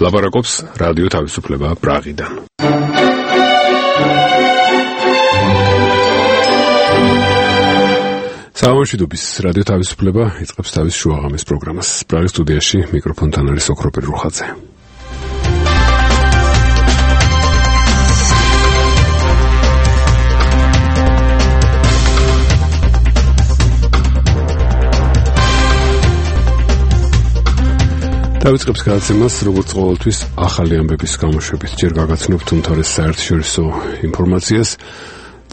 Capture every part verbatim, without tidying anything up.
ლაპარაკობს რადიო თავისუფლება პრაღიდან. საამშვიდობის რადიო თავისუფლება იწყებს თავის შუაღამის პროგრამას. პრაღის სტუდიაში მიკროფონთან არის ოქროპირ რუხაძე. დავიწყებს გადაცემას, როგორც ყოველთვის, ახალი ამბების გამოშვებით. ჯერ გაგაცნობთ უმთავრეს საერთაშორისო ინფორმაციას.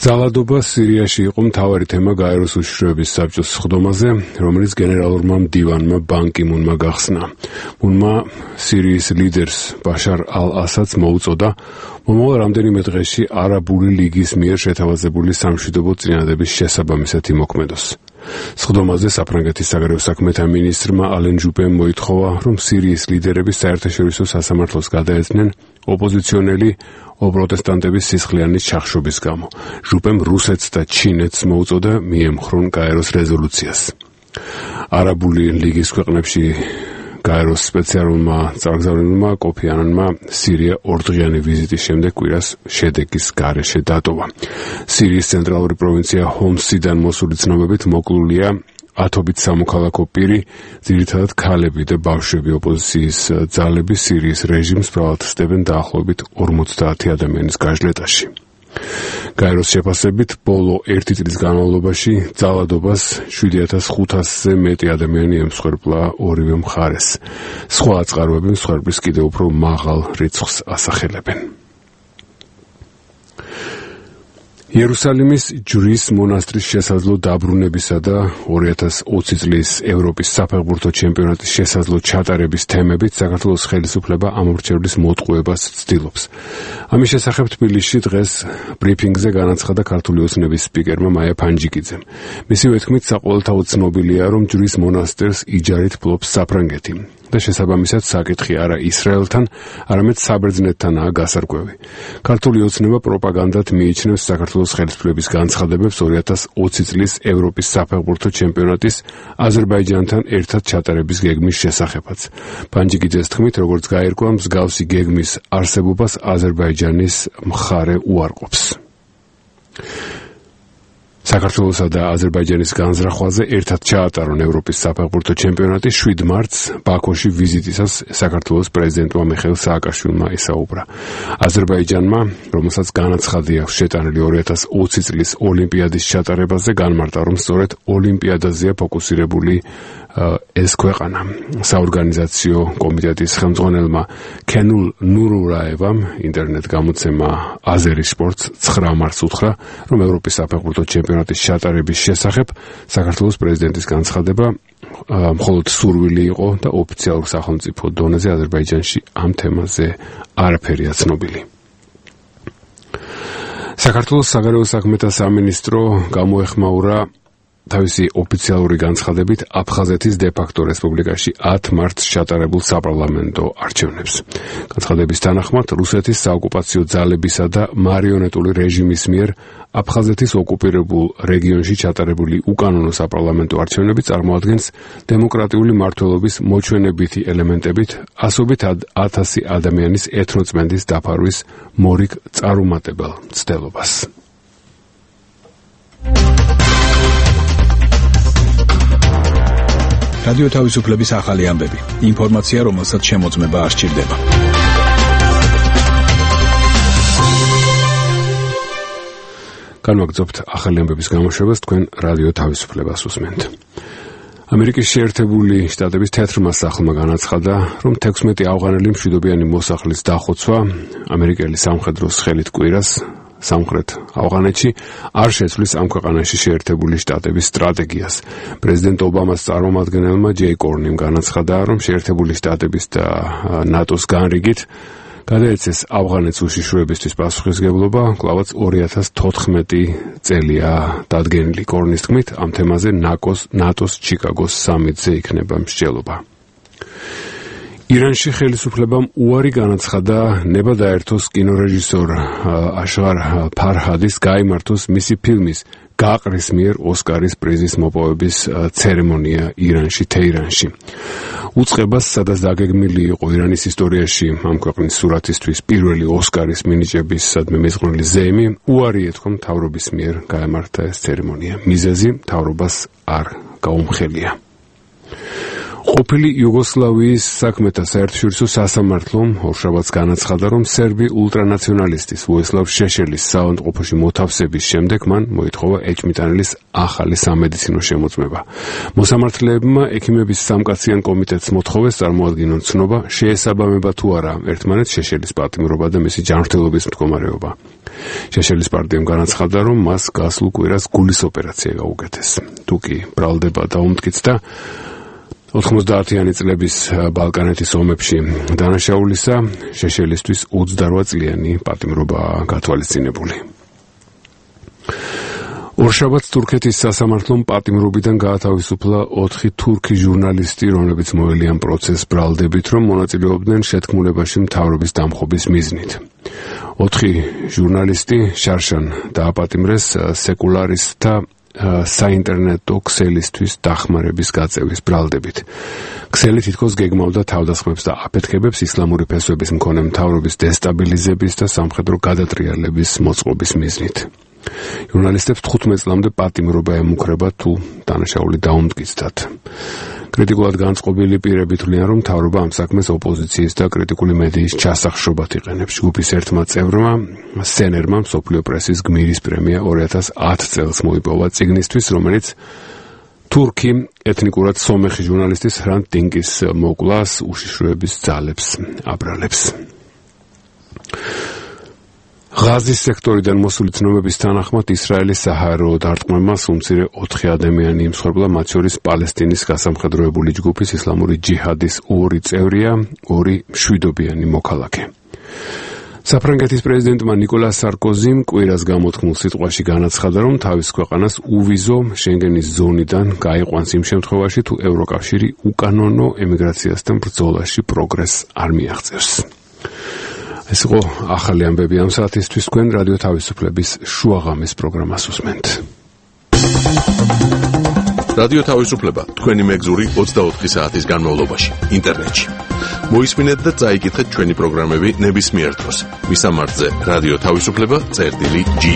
ძალადობა სირიაში იყო მთავარი თემა გაეროს უშიშროების საბჭოს სხდომაზე, რომელიც გენერალურმა მდივანმა ბან კი მუნმა გახსნა. მუნმა სირიის ლიდერს ბაშარ ალ-ასადს მოუწოდა მომავალ რამდენიმე დღეში არაბული ლიგის მიერ შეთავაზებული სამშვიდობო წინადადების შესაბამისად იმოქმედოს. სხდომაზე საფრანგეთის საგარეო საქმეთა მინისტრმა ალენ ჟუპემ მოითხოვა, რომ სირიის ლიდერები საერთაშორისო სასამართლოს გადაეცნენ ოპოზიციონელი ოპროტესტანტების სისხლიანი ჩახშობის გამო. ჟუპემ რუსეთს და ჩინეთს მოუწოდა მიემხრონ გაეროს რეზოლუციას. არაბული ლიგის ქვეყნებში გაეროს სპეციალურმა წარგზავნილმა კოფი ანანმა სირია ორდღიანი ვიზიტის შემდეგ კვირას შედეგის გარეშე დატოვა. სირიის ცენტრალური პროვინცია ჰომსიდან მოსული ცნობებით მოკლულია ათობით სამოქალაქო პირი, ძირითადად ქალები და ბავშვები. ოპოზიციის ძალები სირიის რეჟიმს ბრალად ხსდებენ დაახლოებით ორმოცდაათი ადამიანის გაჟლეტაში. გაეროს შეფასებით, ბოლო ერთი წლის განმავლობაში ძალადობას შვიდი ათას ხუთასზე მეტი ადამიანი ემსხვერპლა ორივე მხარეს. სხვა აწყაროები მსხვერპლის კიდევ უფრო მაღალ რიცხვს ასახელებენ. იერუსალიმის ჯვრის მონასტრის შესაძლო დაბრუნებისა და ორი ათას ოცი წლის ევროპის საფეხბურთო ჩემპიონატის შესაძლო ჩატარების თემებით საქართველოს ხელისუფლება ამორჩევლის მოტყუებას ცდილობს. ამის შესახებ თბილისში დღეს ბრიფინგზე განაცხადა ქართული ოცნების სპიკერმა მაია ფანჯიკიძემ. მისივე თქმით, საყოველთაოდ ცნობილია, რომ ჯვრის მონასტერს იჯარით ფლობს საფრანგეთი და შესაბამისად საკითხი არა ისრაელთან, არამედ საბერძნეთთანაა გასარკვევი. ქართული ოცნება პროპაგანდად მიიჩნევს საქართველოს ხელისუფლების განცხადებებს ორი ათას ოცი წლის ევროპის საფეხბურთო ჩემპიონატის აზერბაიჯანთან ერთად ჩატარების გეგმის შესახებაც. ფანჯიკიძეს თქმით, როგორც გაირკვა, მსგავსი გეგმის არსებობას აზერბაიჯანის მხარე უარყოფს. საქართველოსა და აზერბაიჯანის განზრახვაზე ერთად ჩაატარონ ევროპის საფეხბურთო ჩემპიონატი. შვიდ მარტს ბაქოში ვიზიტისას საქართველოს პრეზიდენტმა მიხეილ სააკაშვილმა ისაუბრა. აზერბაიჯანმა, რომელსაც განაცხადი აქვს შეტანილი ორი ათას ოცი წლის ოლიმპიადის ჩატარებაზე, განმარტა, რომ სწორედ ოლიმპიადაზეა ფოკუსირებული ეს ქვეყანა. საორგანიზაციო კომიტეტის ხელმძღვანელმა ქენულ ნურურაევამ ინტერნეტ გამოცემა აზერი სპორტს ცხრა მარტს უთხრა, რომ ევროპის საფეხბურთო ჩემპიონატის ჩატარების შესახებ საქართველოს პრეზიდენტის განცხადება მხოლოდ სურვილი იყო და ოფიციალურ სახელმწიფო დონეზე აზერბაიჯანში ამ თემაზე არაფერია ცნობილი. საქართველოს საგარეო საქმეთა სამინისტრო გამოეხმაურა თავისი ოფიციალური განცხადებით აფხაზეთის დე-ფაქტო რესპუბლიკაში ათ მარტს ჩატარებულ საპარლამენტო არჩევნებს. განცხადების თანახმად, რუსეთის საოკუპაციო ძალებისა და მარიონეტული რეჟიმის მიერ აფხაზეთის ოკუპირებულ რეგიონში ჩატარებული უკანონო საპარლამენტო არჩევნები წარმოადგენს დემოკრატიული მმართველობის მოჩვენებითი ელემენტებით ასობით ათასი ადამიანის ეთნოწმენდის დაფარვის მორიგ წარუმატებელ მცდელობას. რადიო თავისუფლების ახალი ამბები. ინფორმაცია, რომელსაც შემოწმება არ სჭირდება. განვაგრძობთ ახალი ამბების გამოშვებას, თქვენ რადიო თავისუფლებას უსმენთ. ამერიკის შეერთებული შტატების თეთრმა სახლმა განაცხადა, რომ თექვსმეტი ავღანელი მშვიდობიანი მოსახლის დახოცვა ამერიკელი სამხედროს ხელით კვირას სამხრეთ ავღანეთში არ შეცვლის ამ ქვეყანაში შეერთებული შტატების სტრატეგიას. პრეზიდენტ ობამას წარმომადგენელმა ჯეი კორნიმ განაცხადა, რომ შეერთებული შტატების და ნატოს განრიგით გადაეცეს ავღანეთს უშიშროებისთვის პასუხისმგებლობა, კვლავაც ორი ათას თოთხმეტი წელია დადგენილი. კორნის თქმით, ამ თემაზე ნატოს ჩიკაგოს სამიტზე იქნება მსჯელობა. ირანში ხელისუფლებამ უარი განაცხადა ნება დაერთოს კინორეჟისორ აშღარ ფარჰადის გაიმართოს მისი ფილმის გაყრის მიერ ოსკარის პრიზის მოპოვების ცერემონია ირანში, თეირანში. უწყებას, სადაც დაგეგმილი იყო ირანის ისტორიაში ამ ქვეყნის სურათისთვის პირველი ოსკარის მინიჭების სადმე მეზღვრული ზეიმი, უარი ეთქვა მთავრობის მიერ გაემართა ეს ცერემონია. მიზეზი მთავრობას არ გაუმხელია. ყოფილი იუგოსლავიის საქმეთა საერთაშორისო სასამართლომ ორშაბათს განაცხადა, რომ სერბი ულტრანაციონალისტის ვოისლავ შეშელის საავადმყოფოში მოთავსების შემდეგ მან მოითხოვა ეჭმიტანილის ახალი სამედიცინო შემოწმება. მოსამართლეებმა ექიმების სამკაციან კომიტეტს მოთხოვეს წარმოადგინონ ცნობა, შეესაბამება თუ არა ერთმანეთს შეშელის პატიმრობა და მისი ჯანმრთელობის მდგომარეობა. შეშელის პარტიამ განაცხადა, რომ მას გასულ კვირას გულის ოპერაცია გაუკეთეს. თუკი ბრალდება დაუმტკიცდა ოთხმოცდაათიანი წლების ბალკანეთის ომებში დანაშაულისა, შეშელისთვის ოცდარვა წლიანი პატიმრობა გათვალისწინებული. ორშაბათს თურქეთის სასამართლომ პატიმრობიდან გაათავისუფლა ოთხი თურქი ჟურნალისტი, რომლებიც მოელიან პროცესს ბრალდებით, რომ მონაწილეობდნენ შეთქმულებაში მთავრობის დამხობის მიზნით. ოთხი ჟურნალისტი შარშან დააპატიმრეს სეკულარისტთა საინტერნეტო ქსელისთვის დახმარების გაწევის ბრალდებით. ქსელი თითქოს გეგმავდა თავდასხმებს და აფეთქებებს ისლამური ფესვების მქონე მთავრობის დესტაბილიზების და სამხედრო გადატრიალების მოწყობის მიზნით. ჟურნალისტებს თხუთმეტ წლამდე პატიმრობა ემუქრება თუ დანაშაული დაუმტკიცდათ. კრიტიკულად განწყობილი პირები თვლიან, რომ მთავრობა ამ საქმეს ოპოზიციის და კრიტიკული მედიის ჩასახშობად იყენებს. ჯგუფის ერთმა წევრმა, სენერმა, მსოფლიო პრესის გმირის პრემია ორი ათას ათი წელს მოიპოვა წიგნისთვის, რომელიც თურქი ეთნიკურად სომეხი ჟურნალისტის hrant Dink-ის მოკვლას უშიშროების ძალებს აბრალებს. ღაზის სექტორიდან მოსული ცნობების თანახმად ისრაელის საჰაერო დარტყმებას უმცირე ოთხი ადამიანი იმსხვერპლა, მათ შორის პალესტინის გასამხედროებული ჯგუფის ისლამური ჯიჰადის ორი წევრია, ორი მშვიდობიანი მოქალაქე. საფრანგეთის პრეზიდენტმა ნიკოლას სარკოზიმ კვირას გამოთქმულ სიტყვაში განაცხადა, რომ თავის ქვეყანას უვიზო შენგენის ზონიდან გაიყვანს იმ შემთხვევაში, თუ ევროკავშირი უკანონო ემიგრაციასთან ბრძოლაში პროგრესს არ მიაღწევს. ეს იყო ახალი ამბები ამ საათისთვის. თქვენ რადიო თავისუფლების შუაღამის პროგრამას უსმენთ. რადიო თავისუფლება თქვენი მეგზური ოცდაოთხი საათის განმავლობაში ინტერნეტში. მოისმინეთ და წაიკითხეთ ჩვენი პროგრამები ნებისმიერ დროს. მისამართზე რადიო თავისუფლება წერტილი ჯი.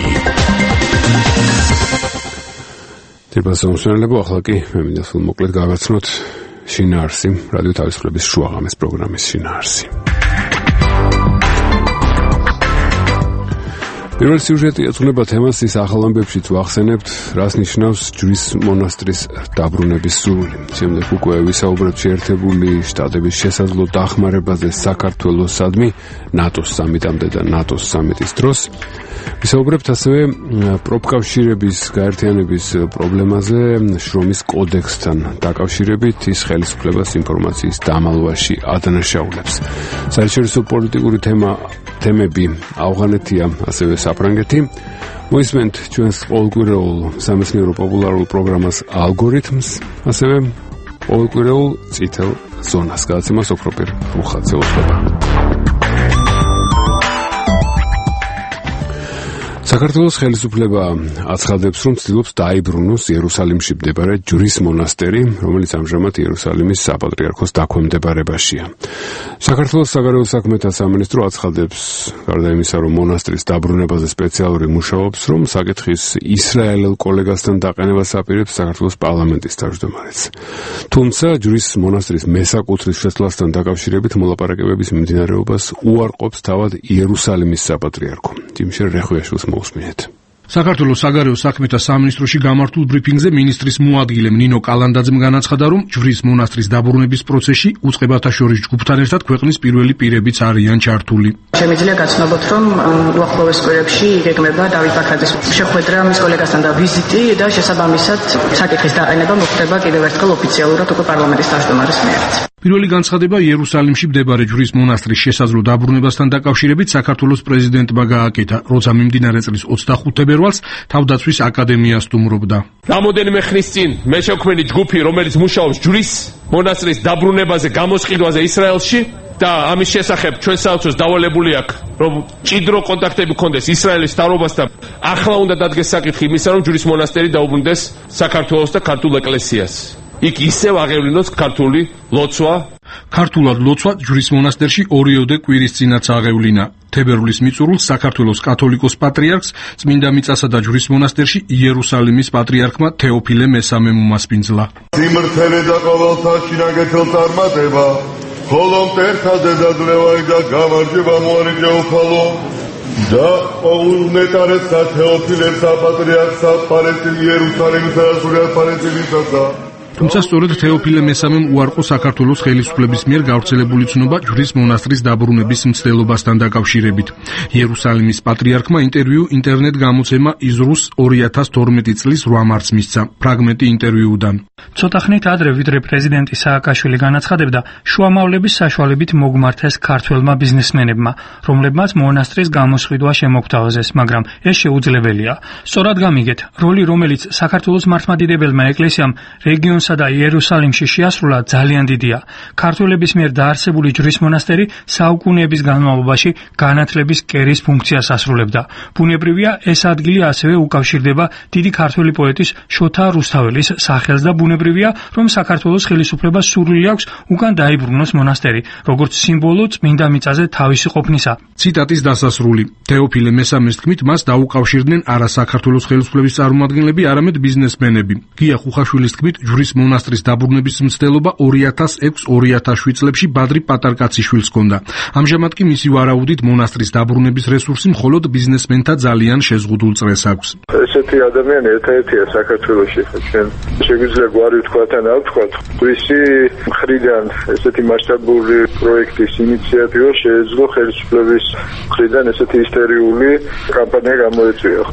თებასონსონელებო, ახლა კი მე მინდა სულ მოკლედ გავაცნოთ შინაარსი, რადიო თავისუფლების შუაღამის პროგრამის შინაარსი. პირველ სიუჟეტი ეძღვნება თემას, ის ახალ ამბებშიც ვახსენებთ, რას ნიშნავს ჯვრის მონასტრის დაბრუნების სურვილი. შემდეგ უკვე ვისაუბრებთ შეერთებული შტატების შესაძლო დახმარებაზე საქართველოსადმი ნატოს სამიტამდე და ნატოს სამიტის დროს. ვისაუბრებთ ასევე პროფკავშირების გაერთიანების პრობლემაზე შრომის კოდექსთან დაკავშირებით, ის ხელისუფლებას ინფორმაციის დამალვაში ადანაშაულებს. საერთაშორისო პოლიტიკური თემა თემები ავღანეთია, ასევე საფრანგეთი. მოისმენთ ჩვენს ყოველკვირეულ სამეცნიერო პოპულარულ პროგრამას ალგორითმს, ასევე ყოველკვირეულ წითელ ზონას. გადაცემას ოქროპირ რუხაძე უხდება. საქართველოს ხელისუფლება აცხადებს, რომ ცდილობს დაიბრუნოს იერუსალიმში მდებარე ჯვრის მონასტერი, რომელიც ამჟამად იერუსალიმის საპატრიარქოს დაქვემდებარებაშია. საქართველოს საგარეო საქმეთა სამინისტრო აცხადებს, გარდა იმისა, რომ მონასტრის დაბრუნებაზე სპეციალური მუშაობს, რომ საკითხის ისრაელელ კოლეგასთან დაყენებას აპირებს საქართველოს პარლამენტის თავმჯდომარეც. თუმცა ჯვრის მონასტრის მესაკუთრის შეცვლასთან დაკავშირებით მოლაპარაკებების მიმდინარეობას უარყოფს თავად იერუსალიმის საპატრიარქო. ჯიმშერ რეხვიაშვილს მოусმინეთ. საქართველოს საგარეო საქმეთა სამინისტროში გამართულ ბრიფინგზე მინისტრის მოადგილემ ნინო კალანდაძემ განაცხადა, რომ ჯვრის მონასტრის დაბრუნების პროცესში უწყებათა შორის ჯგუფთან ერთად ქვეყნის პირველი პირებიც არიან ჩართული. შემიძლია გაცნობოთ, რომ უახლოეს კვირებში იგეგმება დავით ბაქრაძის შეხვედრა მის კოლეგასთან და ვიზიტი და შესაბამისად საკითხის დაყენება მოხდება კიდევ ერთხელ ოფიციალურად უკვე პარლამენტის თავმჯდომარის მიერ. პირველი განცხადება იერუსალიმში მდებარე ჯვრის მონასტრის შესაძლო დაბრუნებასთან დაკავშირებით საქართველოს პრეზიდენტმა გააკეთა, როცა მიმდინარე წლის ოცდახუთი თებერვალს თავდაცვის აკადემია სტუმრობდა. რამოდენიმე ხნის წინ მე შექმნილი ჯგუფი, რომელიც მუშაობს ჯვრის მონასტრის დაბრუნებაზე, გამოსყიდვაზე ისრაელში და ამის შესახებ ჩვენ საერთოდ დავალებული აქვს, რომ ჭიდრო კონტაქტები გქონდეს ისრაელის მთავრობასთან. ახლა უნდა დადგეს საკითხი იმისა, რომ ჯვრის მონასტერი დაუბრუნდეს საქართველოს და ქართულ ეკლესიას. იქ ისევ აღევლინოს ქართული ლოცვა. ქართულად ლოცვა ჯვრის მონასტერში ორიოდე კვირის წინაც აღევლინა. თებერვლის მიწურულს საქართველოს კათოლიკოს პატრიარქს წმინდა მიწასა და ჯვრის მონასტერში იერუსალიმის პატრიარქმა თეოფილე მესამემ უმასპინძლა. სიმრთელე და ყოველთა შინაგეთელ წარმატება, ხოლო მტერთა დედაძლევარი და გამარჯვება მოარიჯა უფალო და ყოველნეტარესა თეოფილესა პატრიარქსა პალესტინის იერუსალიმისა და სრულიად პალესტინისასა. თუმცა სწორედ თეოფილე მესამემ უარყო საქართველოს ხელისუფლების მიერ გავრცელებული ცნობა ჯვრის მონასტრის დაბრუნების მცდელობასთან დაკავშირებით. იერუსალიმის პატრიარქმა ინტერვიუ ინტერნეტ გამოცემა იზრუს ორი ათას თორმეტი წლის რვა მარტს მისცა. ფრაგმენტი ინტერვიუდან. ცოტა ხნით ადრე ვიდრე პრეზიდენტი სააკაშვილი განაცხადებდა, შუამავლების საშუალებით მოგმართეს ქართველმა ბიზნესმენებმა, რომლებმაც მონასტრის გამოსყიდვა შემოგთავაზეს, მაგრამ ეს შეუძლებელია. სწორად გამიგეთ, როლი რომელიც საქართველოს მართლმადიდებელმა ეკლესიამ რეგიონს და იერუსალიმში შეასრულა ძალიან დიდია. ქართველების მიერ დაარსებული ჯვრის მონასტერი საუკუნეების განმავლობაში განათლების კერის ფუნქციას ასრულებდა. ბუნებრივია, ეს ადგილი ასევე უკავშირდება დიდი ქართველი პოეტის შოთა რუსთაველის სახელს და ბუნებრივია, რომ საქართველოს ხელისუფლებას სურვილი აქვს უკან დაიბრუნოს მონასტერი, როგორც სიმბოლო წმინდა მიწაზე თავისი ყოფნისა. ციტატის დასასრული. თეოფილე მესამეს თქმით, მას დაუკავშირდნენ არა საქართველოს ხელისუფლების წარმომადგენლები, არამედ ბიზნესმენები. გია ხუხაშვილის თქმით, ჯვრის მონასტრის დაბრუნების მცდელობა ორი ათას ექვს ორი ათას შვიდ წლებში ბადრი პატარკაციშვილს ჰქონდა. ამჟამად კი მისი ვარაუდით მონასტრის დაბრუნების რესურსი მხოლოდ ბიზნესმენთა ძალიან შეზღუდულ წრეს აქვს. ესეთი ადამიანი ერთ-ერთია საქართველოში, ჩვენ შეგვიძლია გვარი ვთქვათ ან არ ვთქვათ. ვისი მხრიდან ესეთი მასშტაბური პროექტის ინიციატივა შეეძლო ხელისუფლების მხრიდან ესეთი ისტერიული კამპანია გამოეწვია.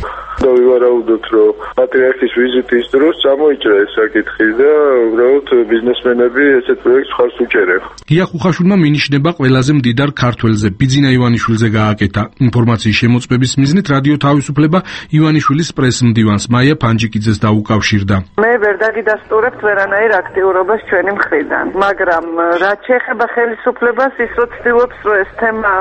და ვივარაუდოთ, რომ პატრიარქის ვიზიტის დროს წამოიჭრა ეს საკითხი და უბრალოდ ბიზნესმენები ესეთ პროექტს ხარს უჭერენ. გია ხუხაშვილმა მინიშნება ყველაზე მდიდარ ქართველზე, ბიძინა ივანიშვილზე გააკეთა. ინფორმაციის შემოწმების მიზნით რადიო თავისუფლება ივანიშვილის პრესმდივანს მაია ფანჯიკიძეს დაუკავშირდა. მე ვერ დაგიდასტურებთ ვერანაირ აქტიურობას ჩვენი მხრიდან, მაგრამ რაც შეეხება ხელისუფლებას, ის რო ცდილობს, რომ ეს თემა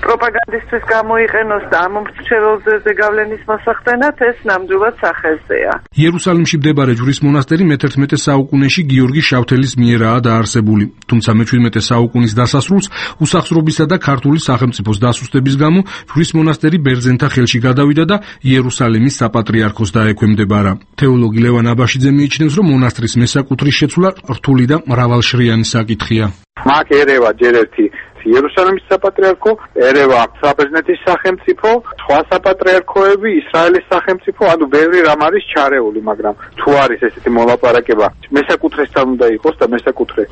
პროპაგანდისტვის გამოიყენოს და ამ მრჩეველზე გავლენის მოსახდენად, ეს ნამდვილად სახეზეა. იერუსალიმში მდებარე ჯვრის მონასტერი მეთერთმეტე საუკუნეში გიორგი შავთელის მიერაა დაარსებული. თუმცა მეჩვიდმეტე საუკუნის დასასრულს უსახსრობისა და ქართული სახელმწიფოს დასუსტების გამო ჯვრის მონასტერი ბერძენთა ხელში გადავიდა და იერუსალიმის საპატრიარქოს დაექვემდებარა. თეოლოგი ლევან აბაშიძე მიიჩნევს, რომ მონასტრის მესაკუთრის შეცვლა რთული და მრავალშრიანი საკითხია. მაგ ერევა ჯერ ერთი იერუსალიმის საპატრიარქო, ერევა საბერძნეთის სახელმწიფო, სხვა საპატრიარქოები, ისრაელის სახელმწიფო, ანუ ბევრი რამ არის ჩარეული, მაგრამ თუ არის ესეთი მოლაპარაკება, მესაკუთრესთან უნდა იყოს და მესაკუთრე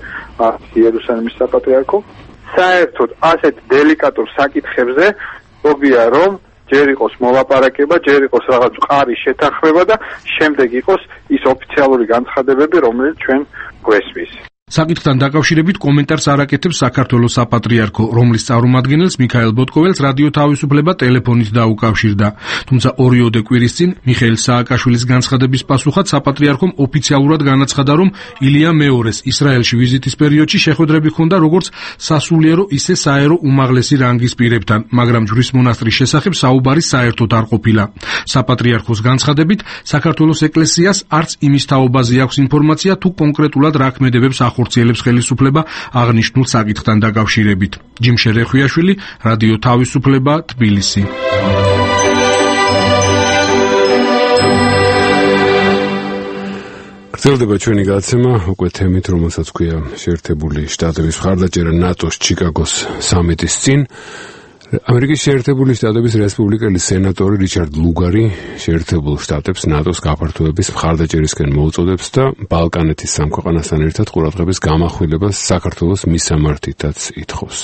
იერუსალიმის საპატრიარქო, საერთოდ ასეთ დელიკატურ საკითხებზე მოგია რომ ჯერ იყოს მოლაპარაკება, ჯერ იყოს რაღაც მყარი შეთანხმება და შემდეგ იყოს ის ოფიციალური განცხადებები, რომელიც ჩვენ გვესმის. საკითხთან დაკავშირებით კომენტარს არ აკეთებს საქართველოს საპატრიარქო, რომლის წარმომადგენელს მიქაელ ბოტკოველს რადიო თავისუფლება ტელეფონით დაუკავშირდა. თუმცა ორიოდე კვირის წინ მიხეილ სააკაშვილის განცხადების პასუხად საპატრიარქომ ოფიციალურად განაცხადა, რომ ილია მეორეს ისრაელში ვიზიტის პერიოდში შეხვედრები ჰქონდა როგორც სასულიერო, ისე საერო უმაღლესი რანგის პირებთან, მაგრამ ჯვრის მონასტრის შესახებ საუბარი საერთოდ არ ყოფილა. საპატრიარქოს განცხადებით, საქართველოს ეკლესიას არც იმის თაობაზე აქვს ინფორმაცია, თუ კონკრეტულად რა ქმედებებს ხორციელებს ხელისუფლება აღნიშნულ საკითხთან დაკავშირებით. ჯიმშე რეხვიაშვილი, რადიო თავისუფლება, თბილისი. გრძელდება ჩვენი გადაცემა უკვე თემით, რომელსაც ქვია შეერთებული შტატების მხარდაჭერა ნატოს ჩიკაგოს სამიტის წინ. ამერიკის შეერთებული შტატების რესპუბლიკელი სენატორი რიჩარდ ლუგარი შეერთებულ შტატებს ნატოს გაფართოების მხარდაჭერისკენ მოუწოდებს და ბალკანეთის სამ ქვეყანასთან ერთად ყურადღების გამახვილებას საქართველოს მისამართითაც ითხოვს.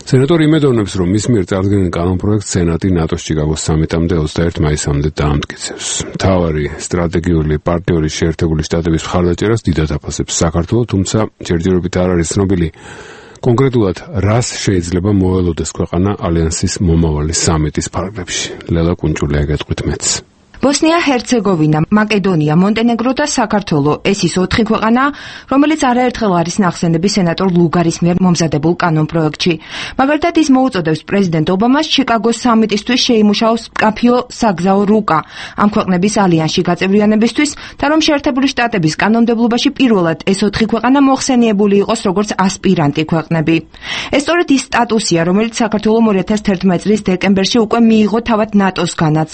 სენატორი იმედოვნებს, რომ მის მიერ წარდგენილ კანონპროექტს სენატი ნატოს ჩიკაგოს სამიტამდე ოცდაერთი მაისამდე დაამტკიცებს. მთავარი სტრატეგიული პარტნიორი შეერთებული შტატების მხარდაჭერას დიდად აფასებს საქართველო, თუმცა ჯერჯერობით არ არის ცნობილი კონკრეტულად რას შეიძლება მოელოდეს ქვეყანა ალიანსის მომავალი სამიტის ფარგლებში. ლელა კუნჭულია გეტყვით მეც. ბოსნია-ჰერცეგოვინა, მაკედონია, მონტენეგრო და საქართველო ეს ის ოთხი ქვეყანაა, რომელიც არაერთხელ არის ნახსენები სენატორ ლუგარის მიერ მომზადებულ კანონპროექტში. მაგალითად, ის მოუწოდებს პრეზიდენტ ობამას ჩიკაგოს სამიტისთვის შეიმუშაოს მკაფიო საგზაო რუკა ამ ქვეყნების ალიანსში გაწევრიანებისთვის და რომ შეერთებული შტატების კანონმდებლობაში პირველად ეს ოთხი ქვეყანა მოხსენიებული იყოს როგორც ასპირანტი ქვეყნები. ეს სწორედ ის სტატუსია, რომელიც საქართველომ ორი ათას თერთმეტი წლის დეკემბერში უკვე მიიღო თავად ნატოსგანაც.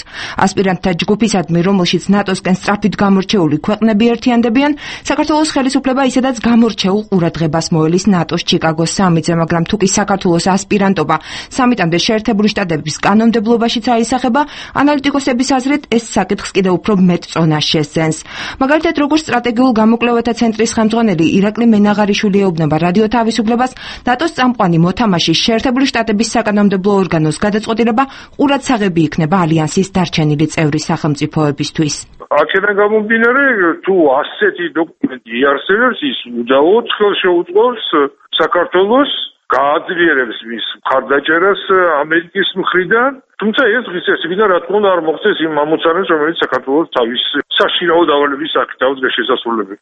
ასპირანტთა ჯგუფისადმი, რომელშიც ნატოსკენ სწრაფით გამორჩეული ქვეყნები ერთიანდებიან, საქართველოს ხელისუფლება ისედაც გამორჩეულ ყურადღებას მოელის ნატოს ჩიკაგოს სამიტზე, მაგრამ თუ კი საქართველოს ასპირანტობა სამიტამდე შეერთებული შტატების კანონმდებლობაშიც აისახება, ანალიტიკოსების აზრით ეს საკითხს კიდევ უფრო მეტ წონას შესძენს. მაგალითად, როგორც სტრატეგიულ გამოკვლევათა ცენტრის ხელმძღვანელი ირაკლი მენაღარიშვილი ეუბნება რადიო თავისუფლებას, ნატოს წამყვანი მოთამაშის შეერთებული შტატების საკანონმდებლო ორგანოს გადაწყვეტილება ყურადსაღები იქნება ალიანსის დარჩენილი წევრი სახელმწიფოებისთვის. აქედან გამომდინარე, თუ ასეთი დოკუმენტი იარსებებს, ის უდავოდ ხელშეუწყობს საქართველოს გააძლიერებს მის მხარდაჭერას ამერიკის მხრიდან, თუმცა ეს დღის წესიდან რა თქმა უნდა არ მოხდეს იმ ამოცანებს, რომელიც საქართველოს თავის საშინაო დავალების აქტავს შესასრულებელი.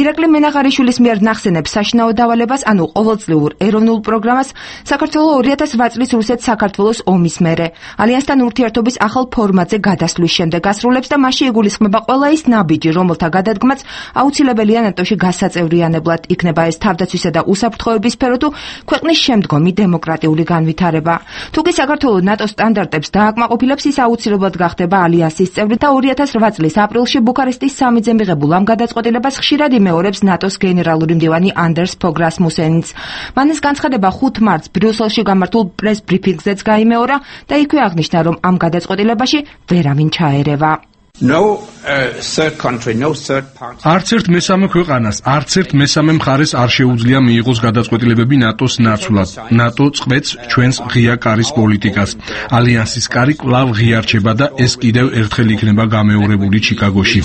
ირაკლი მენაღარიშვილის მიერ ნახსენებ საშინაო დავალებას, ანუ ყოველწლიურ ეროვნულ პროგრამას, საქართველო ორი ათას რვა წლის რუსეთ-საქართველოს ომის მერე ალიანსთან ურთიერთობის ახალ ფორმატზე გადასვლის შემდეგ ასრულებს და მასში იგულისხმება ყველა ის ნაბიჯი, რომელთა გადადგმაც აუცილებელია ნატოში გასაწევრიანებლად. იქნება ეს თავდაცვისა და უსაფრთხოების სფერო თუ ქვეყნის შემდგომი დემოკრატიული განვითარება. თუ კი საქართველო ნატოს სტანდარტებს დააკმაყოფილებს, ის აუცილებლად გახდება ალიანსის წევრი და ორი ათას რვა წლის აპრილში ბუქარესტის სამიტზე მიღებულ ამ გადაწყვეტილებას ხშირად იმეორებს ნატოს გენერალური მდივანი ანდერს ფოგ რასმუსენიც. მან ეს განცხადება ხუთ მარტს ბრიუსელში გამართულ პრეს ბრიფინგზეც გაიმეორა და იქვე აღნიშნა, რომ ამ გადაწყვეტილებაში ვერავინ ჩაერევა. No uh, third country, no third party. არც ერთ მესამე ქვეყანას, არც ერთ მესამე მხარეს არ შეუძლია მიიღოს გადაწყვეტილებები ნატოს ნაცვლად. ნატო წყვეტს ჩვენს ღია კარის პოლიტიკას. ალიანსის კარი კვლავ ღიარჩება და ეს კიდევ ერთხელ იქნება გამეორებული ჩიკაგოში.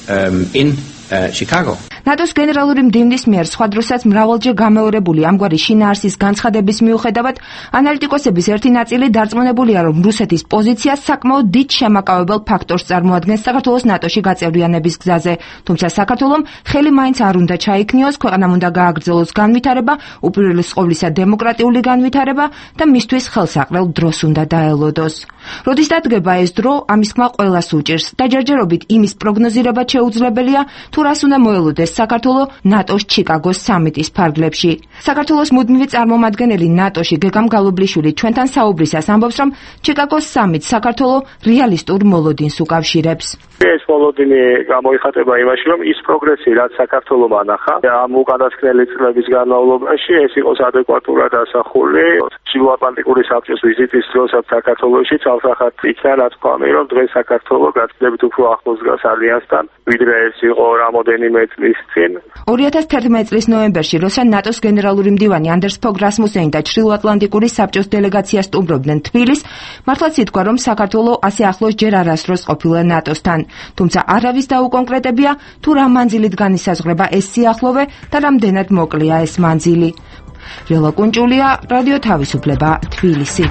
Um, in uh, Chicago. ნატოს გენერალური მდივნის მიერ სხვა დროსაც მრავალჯერ გამეორებული ამგვარი შინაარსის განცხადების მიუხედავად, ანალიტიკოსების ერთი ნაწილი დარწმუნებულია, რომ რუსეთის პოზიცია საკმაოდ დიდ შემაკავებელ ფაქტორს წარმოადგენს საქართველოს ნატოში გაწევრიანების გზაზე. თუმცა საქართველომ ხელი მაინც არ უნდა ჩაიქნიოს, ქვეყანამ უნდა გააგრძელოს განვითარება, უპირველეს ყოვლისა დემოკრატიული განვითარება და მისთვის ხელსაყრელ დროს უნდა დაელოდოს. როდის დადგება ეს დრო, ამის ხმა ყველას უჭირს და ჯერჯერობით იმის პროგნოზირება შეუძლებელია, თუ რას უნდა მოელოდეს საქართველო ნატოს ჩიკაგოს სამიტის ფარგლებში. საქართველოს მუდმივი წარმომადგენელი ნატოში გეგამ გალობლიშვილი ჩვენთან საუბრისას ამბობს, რომ ჩიკაგოს სამიტს საქართველო რეალისტურ მოლოდინს უკავშირებს. ეს მოლოდინი გამოიხატება იმაში, რომ ის პროგრესი, რაც საქართველომ ანახა ამ უკანასკნელი წლების განმავლობაში, ეს იყოს ადეკვატურად ასახული ჩრდილოატლანტიკური საბჭოს ვიზიტის დროსაც საქართველოში, ცალსახად იქნა ნათქვამი, რომ დღეს საქართველო გაცილებით უფრო ახლოს დგას ალიანსთან, ვიდრე ეს იყო რამოდენიმე წლის წინ. ორი ათას თერთმეტი წლის ნოემბერში, როცა ნატოს გენერალური მდივანი ანდერს ფოგ რასმუსენი და ჩრდილოატლანტიკური საბჭოს დელეგაცია სტუმრობდნენ თბილისს, მართლაც ითქვა, რომ საქართველო ასე ახლოს ჯერ არასდროს ყოფილა ნატოსთან. თუმცა არავის დაუკონკრეტებია, თუ რა მანძილით განისაზღვრება ეს სიახლოვე და რამდენად მოკლეა ეს მანძილი. რილა კუნჭულია, რადიო თავისუფლება, თბილისი.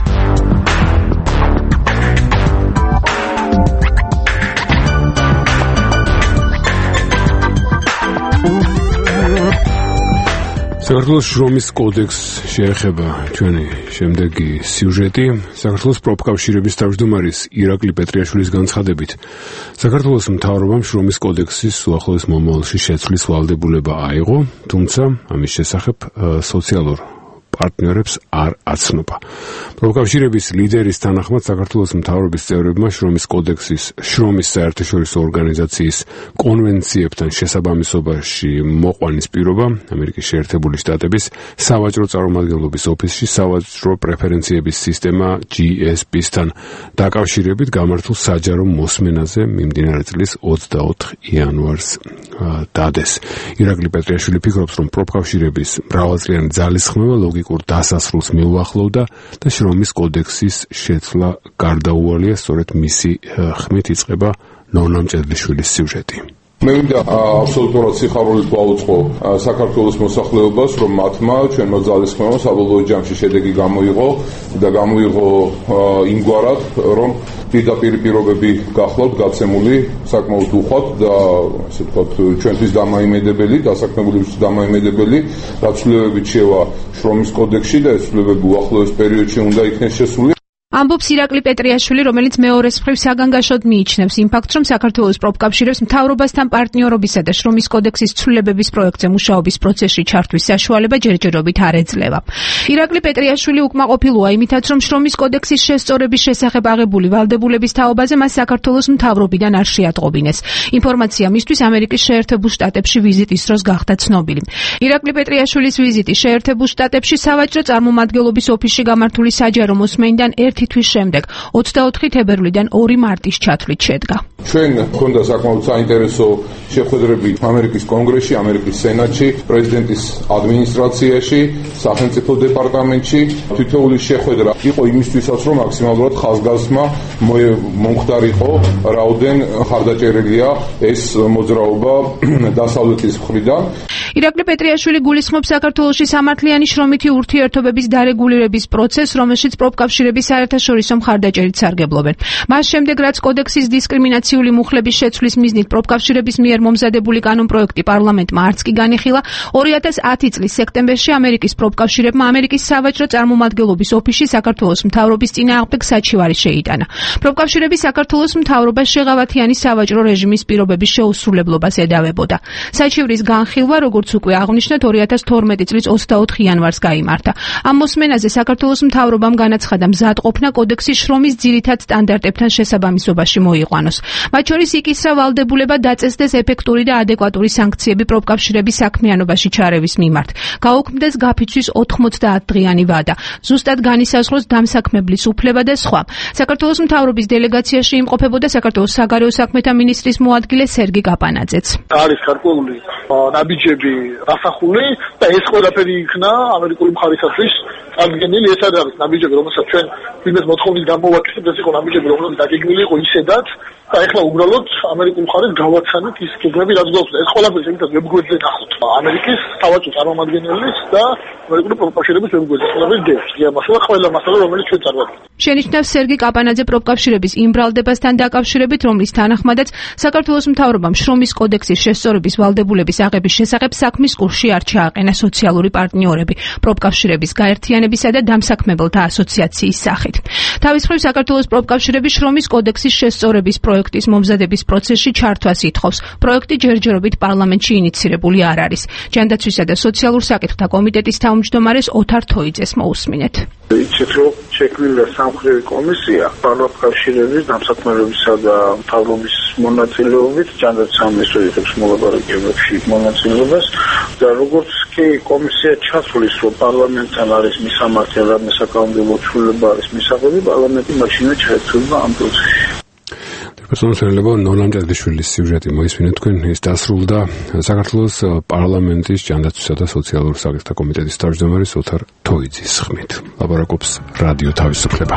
საქართველოს შრომის კოდექსს შეეხება ჩვენი შემდეგი სიუჟეტი. საქართველოს პროფკავშირების თავმჯდომარის ირაკლი პეტრიაშვილის განცხადებით, საქართველოს მთავრობამ შრომის კოდექსის უახლოეს მომავალში შეცვლის ვალდებულება აიღო, თუმცა ამის შესახებ სოციალურ პარტნიორებს არ აცნობა. პროფკავშირების ლიდერის თანახმად საქართველოს მთავრობის წევრებმა შრომის კოდექსის შრომის საერთაშორისო ორგანიზაციის კონვენციებთან შესაბამისობაში მოყვანის პირობა ამერიკის შეერთებული შტატების სავაჭრო წარმომადგენლობის ოფისში სავაჭრო პრეფერენციების სისტემა ჯი ეს პი-სთან დაკავშირებით გამართულ საჯარო მოსმენაზე მიმდინარე წლის ოცდაოთხ იანვარს დადეს. ირაკლი პეტრიაშვილი ფიქრობს, რომ პროფკავშირების მრავალწლიანი ძალისხმევა ლოგიკურ დასასრულს მიუახლოვდა და შრომის კოდექსის შეცვლა გარდაუვალია. სწორედ მისი ხმით იწყება ნონა მჭედლიშვილის სიუჟეტი. მე მინდა აბსოლუტურად სიხარულით ვაუწყო საქართველოს მოსახლეობას, რომ მათმა ჩვენმა ძალისხმევამ საბოლოო ჯამში შედეგი გამოიღო და გამოიღო იმგვარად, რომ პირდაპირ პირობები გახლავთ გაცემული საკმაოდ უხვად და ასე ვთქვათ ჩვენთვის დამაიმედებელი, დასაქმებულებისთვის დამაიმედებელი დაცვლებებით შევა შრომის კოდექსში და ეს ცვლილებები უახლოეს პერიოდში უნდა იქნეს შესული. ამბობს ირაკლი პეტრიაშვილი, რომელიც მეორეს მხრივ საგანგაშოდ მიიჩნევს იმ ფაქტს, რომ საქართველოს პროფკავშირებს მთავრობასთან პარტნიორობისა და შრომის კოდექსის ცვლილებების პროექტზე მუშაობის პროცესში ჩართვის საშუალება ჯერჯერობით არ ეძლევა. ირაკლი პეტრიაშვილი უკმაყოფილოა იმითაც, რომ შრომის კოდექსის შესწორების შესახებ აღებული ვალდებულების თაობაზე მას საქართველოს მთავრობიდან არ შეატყობინეს. ინფორმაცია მისთვის ამერიკის შეერთებულ შტატებში ვიზიტის დროს გახდა ცნობილი. ირაკლი პეტრიაშვილის ვიზიტი შეერთებულ შტატებში სავაჭრო წარმომადგენლობის ოფისში გამართული საჯარო მოსმენიდან ერთი თვის შემდეგ ოცდაოთხი თებერვლიდან ორი მარტის ჩათვლით შედგა. ჩვენ გვქონდა საკმაოდ საინტერესო შეხვედრები ამერიკის კონგრესში, ამერიკის სენატში, პრეზიდენტის ადმინისტრაციაში, სახელმწიფო დეპარტამენტში. თითოეული შეხვედრა იყო იმისთვისაც, რომ მაქსიმალურად ხაზგასმა მომხდარიყო, რაოდენ ხარდაჭერილია ეს მოძრაობა დასავლეთის მხრიდან. ირაკლი პეტრიაშვილი გულისხმობს საქართველოში სამართლიანი შრომითი ურთიერთობების დარეგულირების პროცესს, რომელშიც პროფკავშირები საერთაშორისო მხარდაჭერით სარგებლობენ. მას შემდეგ, რაც კოდექსის დისკრიმინაციული მუხლების შეცვლის მიზნით პროფკავშირების მიერ მომზადებული კანონპროექტი პარლამენტმა არც კი განიხილა, ორი ათას ათი წლის სექტემბერში ამერიკის პროფკავშირებმა ამერიკის სავაჭრო წარმომადგენლობის ოფისში საქართველოს მთავრობის წინააღმდეგ საჩივარი შეიტანა. პროფკავშირები საქართველოს მთავრობას შეღავათიანი სავაჭრო რეჟიმის პირობების შეუსრულებლობას ედავებოდა. საჩივრის განხილვა, როგორც უკვე აღნიშნეთ, ორი ათას თორმეტი წლის ოცდაოთხი იანვარს გაიმართა. ამ მოსმენაზე საქართველოს მთავრობამ განაცხადა მზადყოფნა კოდექსის შრომის ძირითად სტანდარტებთან შესაბამისობაში მოიყვანოს. მათ შორის იკისრა ვალდებულება დაწესდეს ეფექტური და ადეკვატური სანქციები პროფკავშირების საქმიანობაში ჩარევის მიმართ. გაუქმდეს გაფიცვის ოთხმოცდაათ დღიანი ვადა. ზუსტად განისაზღვროს დამსაქმებლის უფლება და სხვა. საქართველოს მთავრობის დელეგაციაში იმყოფებოდა საქართველოს საგარეო საქმეთა მინისტრის მოადგილე სერგი კაპანაძეც. არის გარკვეული ნაბიჯები დასახული და ეს ყველაფერი იქნა ამერიკული მხარისათვის აღდგენილი. ეს არის ნაბიჯები, რომელსაც ჩვენ ვინმეს მოთხოვნის გამოვაკეთებთ, ეს იყო ნაბიჯები, რომლებიც დაგეგმილი იყო ისედაც და ეხლა უბრალოდ ამერიკულ მხარეს გავაცანით ის გეგმები, რაც გვაქვს. ეს ყველაფერი შემიძლია ვებგვერდზე ნახოთ. ამერიკის სავაჭრო წარმომადგენლის და ამერიკული პროფკავშირების ვებგვერდზე ყველაფერი დევს. მასალა ყველა მასალა, რომელიც ჩვენ წარმოვიდგენთ. შენიშნავს სერგი კაპანაძე პროფკავშირების იმ ბრალდებასთან დაკავშირებით, რომლის თანახმადაც საქართველოს მთავრობამ შრომის კოდექსის შესწორების ვალდებულების აღების შესახებ საქმის კურსში არ ჩააყენა სოციალური პარტნიორები პროფკავშირების გაერთიანებისა და დამსაქმებელთა ასოციაციის სახით. თავის მხრივ საქართველოს პროფკავშირები შრომის კოდექსის შესწორების პროექტის მომზადების პროცესში ჩართვას ითხოვს. პროექტი ჯერჯერობით პარლამენტში ინიცირებული არ არის. ჯანდაცვისა და სოციალურ საკითხთა კომიტეტის თავმჯდომარეს ოთარ თოიძეს მოусმინეთ. იცით, რომ შექმნილია სამხრივი კომისია პროფკავშირების დამსაქმებლებისა და მთავრობის მონაწილეობით ჯანდაცვის მინისტრიის მოლაპარაკებებში მონაწილეობას და როგორც კი კომისია ჩასulis, რომ პარლამენტთან არის მისამართი და საკანონმდებლო ცვლილება არის მისაღები, პარლამენტი მაშინვე ჩაერთვება ამ პროცესში. პერსონალურობა ნოლან ჭადაშვილის სიუჟეტი მოისმინეთ თქვენ, ის დასრულდა საქართველოს პარლამენტის ჯანდაცვისა და სოციალურ საკითხთა კომიტეტის თავმჯდომარის ოთარ თოიძის ხმით. ლაპარაკობს რადიო თავისუფლება.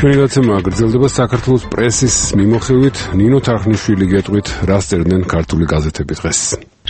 ჩვენი გაცემა გრძელდება საქართველოს პრესის მიმოხილვით. ნინო თარხნიშვილი გეტყვით, რას წერდნენ ქართული გაზეთები დღეს.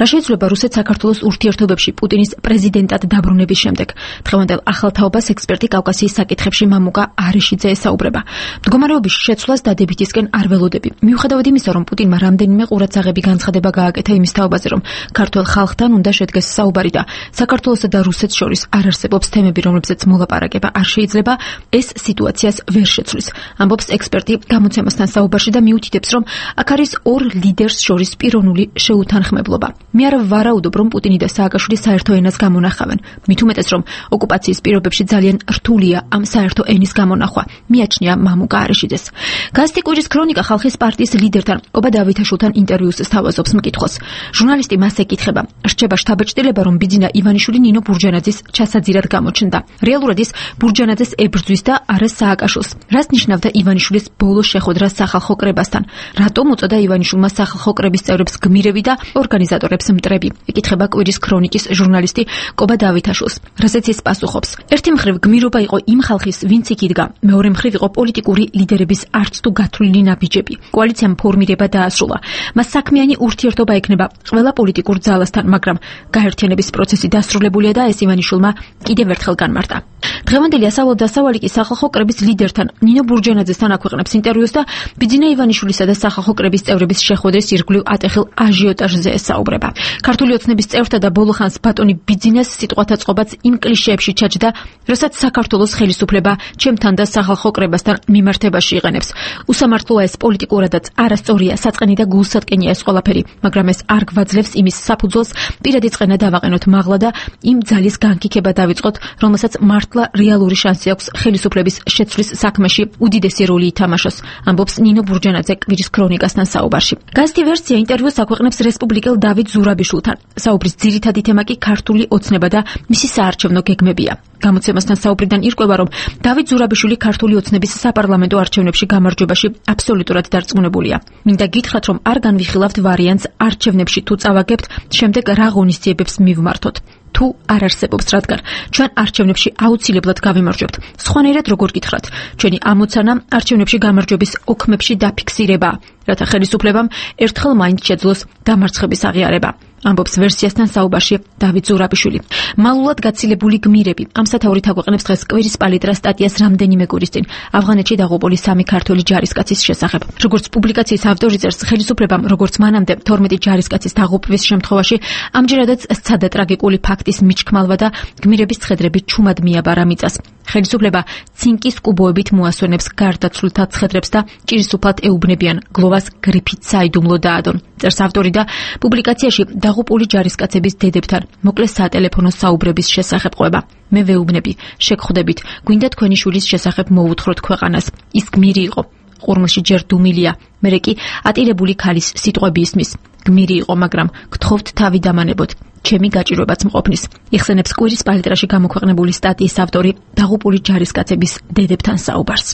რა შეიძლება რუსეთ საქართველოს ურთიერთობებში პუტინის პრეზიდენტად დაბრუნების შემდეგ? დღევანდელ ახალ თაობას ექსპერტი კავკასიის საკითხებში მამუკა არიშიძე ესაუბრება. მდგომარეობის შეცვლას დადებითისკენ არ ველოდები. მიუხედავად იმისა, რომ პუტინმა რამდენიმე ყურადსაღები განცხადება გააკეთა იმის თაობაზე, რომ ქართულ ხალხთან უნდა შედგეს საუბარი და საქართველოსა და რუსეთს შორის არ არსებობს თემები, რომლებზეც მოლაპარაკება არ შეიძლება, ეს სიტუაციას ვერ შეცვლის. ამბობს ექსპერტი გამოცემასთან საუბარში და მიუთითებს, რომ აქ არის ორ ლიდერს შორის პიროვნული შეუთანხმებლობა. მე არ ვარაუდობ, რომ პუტინი და სააკაშვილი საერთო ენას გამონახავენ. მით უმეტეს, რომ ოკუპაციის პირობებში ძალიან რთულია ამ საერთო ენის გამონახვა. მიაჩნია მამუკა არიშიძეს. გაზეთი კუჯის ქრონიკა ხალხის პარტიის ლიდერთან ობა დავითაშვილთან ინტერვიუს სთავაზობს მკითხოს. ჟურნალისტი მას ეკითხება, რჩება შთაბეჭდილება, რომ ბიძინა ივანიშვილი ნინო ბურჯანაძის ჩასაძირად გამოჩნდა. რეალურად ის ბურჯანაძეს ებრძვის და არა სააკაშვილს. რას ნიშნავდა ივანიშვილის ბოლო შეხვედრა სახალხო კრებასთან? რატომ უწოდა ივანიშვილმა სახალხო კრების წევრებს გმირები და ორგანიზატორებს აკეთებს მტრები. ეკითხება კვირის ქრონიკის ჟურნალისტი კობა დავითაშვილს, რასაც ის პასუხობს. ერთი მხრივ გმირობა იყო იმ ხალხის, ვინც იქ იდგა, მეორე მხრივ იყო პოლიტიკური ლიდერების არც თუ გათვლილი ნაბიჯები. კოალიციამ ფორმირება დაასრულა. მას საქმიანი ურთიერთობა ექნება ყველა პოლიტიკურ ძალასთან, მაგრამ გაერთიანების პროცესი დასრულებულია და ეს ივანიშვილმა კიდევ ერთხელ განმარტა. დღევანდელი ასავლო დასავალი კი სახალხო კრების ლიდერთან ნინო ბურჯენაძესთან აქვეყნებს ინტერვიუს და ბიძინა ივანიშვილისა და სახალხო კრების წევრების შეხვედრის ირგვლივ ატეხილ აჟიოტაჟზე ესაუბრება. ქართული ოცნების წევრთა და ბოლოხანს ბატონი ბიძინას სიტყვათა წყობაც იმ კლიშეებში ჩაჯდა, როსაც საქართველოს ხელისუფლება ჩემთან და სახალხო კრებასთან მიმართებაში იყენებს. უსამართლოა ეს პოლიტიკურადაც არასწორია, საწყენი და გულსატკენია ეს ყველაფერი, მაგრამ ეს არ გვაძლევს იმის საფუძველს პირადი წყენა დავაყენოთ მაღლა და იმ ძალის განკიქება დავიწყოთ, რომელსაც მართლა რეალური შანსი აქვს ხელისუფლების შეცვლის საქმეში უდიდესი როლი ითამაშოს, ამბობს ნინო ბურჯენაძე კვირის ქრონიკასთან საუბარში. გაზეთი ვერსია ინტერვიუს აქვეყნებს რესპუბლიკელ დავით ზურაბიშვილთან. საუბრის ძირითადი თემა კი ქართული ოცნება და მისი საარჩევნო გეგმებია. გამოცემასთან საუბრიდან ირკვევა, რომ დავით ზურაბიშვილი ქართული ოცნების საპარლამენტო არჩევნებში გამარჯვებაში აბსოლუტურად დარწმუნებულია. მინდა გითხრათ, რომ არ განვიხილავთ ვარიანტს არჩევნებში თუ წავაგებთ, შემდეგ რა ღონისძიებებს მივმართოთ. თუ არ არსებობს, რადგან ჩვენ არჩევნებში აუცილებლად გავიმარჯვებთ. სხვანაირად როგორ გითხრათ, ჩვენი ამოცანა არჩევნებში გამარჯვების ოქმებში დაფიქსირება, რათა ხელისუფლებამ ერთხელ მაინც შეძლოს დამარცხების აღიარება. ამბობს ვერსიასთან საუბარში დავით ზურაბიშვილი. მალულად გაცილებული გმირები ამ სათაურით აგვეყნებს დღეს კვირის პალიტრა სტატიას რამდენიმე კვირის წინ ავღანეთში დაღუპული სამი ქართველი ჯარისკაცის შესახებ. როგორც პუბლიკაციის ავტორი წერს, ხელისუფლებამ როგორც მანამდე თორმეტი ჯარისკაცის დაღუპვის შემთხვევაში ამჯერადაც სცადა ტრაგიკული ფაქტის მიჩქმალვა და გმირების ცხედრებით ჩუმად მიაბარა მიწას. ხელისუფლება ცინკის კუბოებით მოასვენებს გარდაცვლილთა ცხედრებს და ჭირის უფლად ეუბნებიან გლოვას გრიფით საიდუმლო დაადონ. წერს ავტორი და პუბლიკაციაში დაღუპული ჯარისკაცების დედებთან მოკლე სატელეფონო საუბრების შესახებ ყვება. მე ვეუბნები, შეგხვდებით, გვინდა თქვენი შვილის შესახებ მოვუთხროთ ქვეყანას. ის გმირი იყო. ყურმელში ჯერ დუმილია, მერე კი ატირებული ქალის სიტყვები ისმის. გმირი იყო, მაგრამ გთხოვთ თავი დამანებოთ. ჩემი გაჭირვებაც მყოფნის. იხსენებს კვირის პალიტრაში გამოქვეყნებული სტატიის ავტორი დაღუპული ჯარისკაცების დედებთან საუბარს.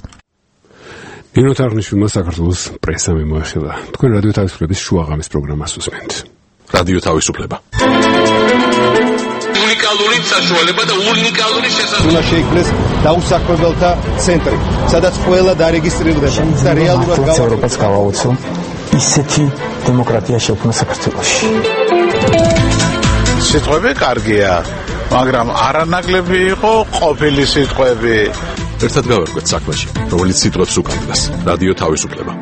ნინო თარღნიშვილმა საქართველოს პრესა მიმოეხილა. თქვენ რადიო თავისუფლების შუაღამის პროგრამას უსმენთ. რადიო თავისუფლება. უნიკალური საშუალება და უნიკალური შესაძლებლობა. უნდა შეიქმნეს დაუსაქმებელთა ცენტრი, სადაც ყველა დარეგისტრირდება და რეალურად გავაუწყოთ გავაუწყო ისეთი დემოკრატია შექმნა საქართველოში. სიტყვები კარგია, მაგრამ არანაკლები იყო ყოფილი სიტყვები. ერთად გავერკვეთ საქმეში, რომელიც სიტყვებს უკანდგას. რადიო თავისუფლება.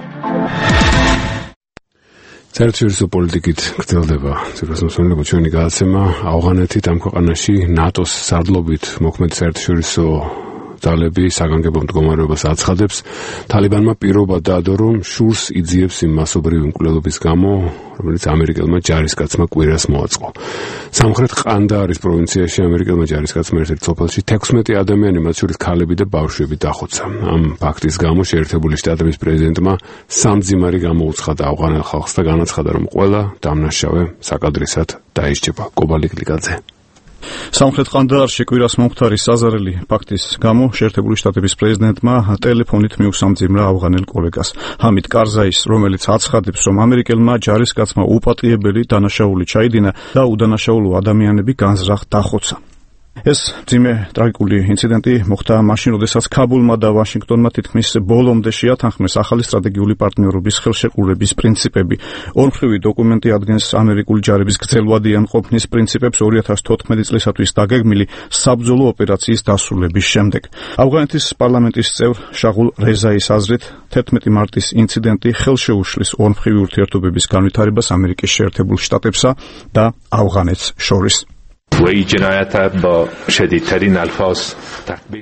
საერთაშორისო პოლიტიკით გრძელდება ციფროსმოსმენელობა ჩვენი გადაცემა ავღანეთით ამ ქვეყანაში ნატოს სარდლობით მოქმედი საერთაშორისო ძალები საგანგებო მდგომარეობას აცხადებს. თალიბანმა პირობა დაადო, რომ შურს იძიებს იმ მასობრივი მკვლელობის გამო, რომელიც ამერიკელმა ჯარისკაცმა კვირას მოაწყო. სამხრეთ ყანდაარის პროვინციაში ამერიკელმა ჯარისკაცმა ერთ-ერთ სოფელში თექვსმეტი ადამიანი, მათ შორის ქალები და ბავშვები დახოცა. ამ ფაქტის გამო შეერთებული შტატების პრეზიდენტმა სამძიმარი გამოუცხადა ავღანელ ხალხს და განაცხადა, რომ ყველა დამნაშავე საკადრისად დაისჯება. კობალი კლიკაძე. სამხრეთ ყანდაარში კვირას მომხდარი საზარელი ფაქტის გამო შეერთებული შტატების პრეზიდენტმა ტელეფონით მიუსამძიმრა ავღანელ კოლეგას ჰამიდ კარზაის, რომელიც აცხადებს, რომ ამერიკელმა ჯარისკაცმა უპატიებელი დანაშაული ჩაიდინა და უდანაშაულო ადამიანები განზრახ დახოცა. ეს ძიმე ტრაგიკული ინციდენტი მოხდა მაშინ, როდესაც ქაბულმა და ვაშინგტონმა თითქმის ბოლომდე შეათანხმეს ახალი სტრატეგიული პარტნიორობის ხელშეკრულების პრინციპები. ორმხრივი დოკუმენტი ადგენს ამერიკული ჯარების გრძელვადიან ყოფნის პრინციპებს ორი ათას თოთხმეტი წლისათვის დაგეგმილი საბრძოლო ოპერაციის დასრულების შემდეგ. ავღანეთის პარლამენტის წევრ შაღულ რეზაის აზრით, თერთმეტი მარტის ინციდენტი ხელშეუშლის ორმხრივი ურთიერთობების განვითარებას ამერიკის შეერთებულ შტატებსა და ავღანეთს შორის.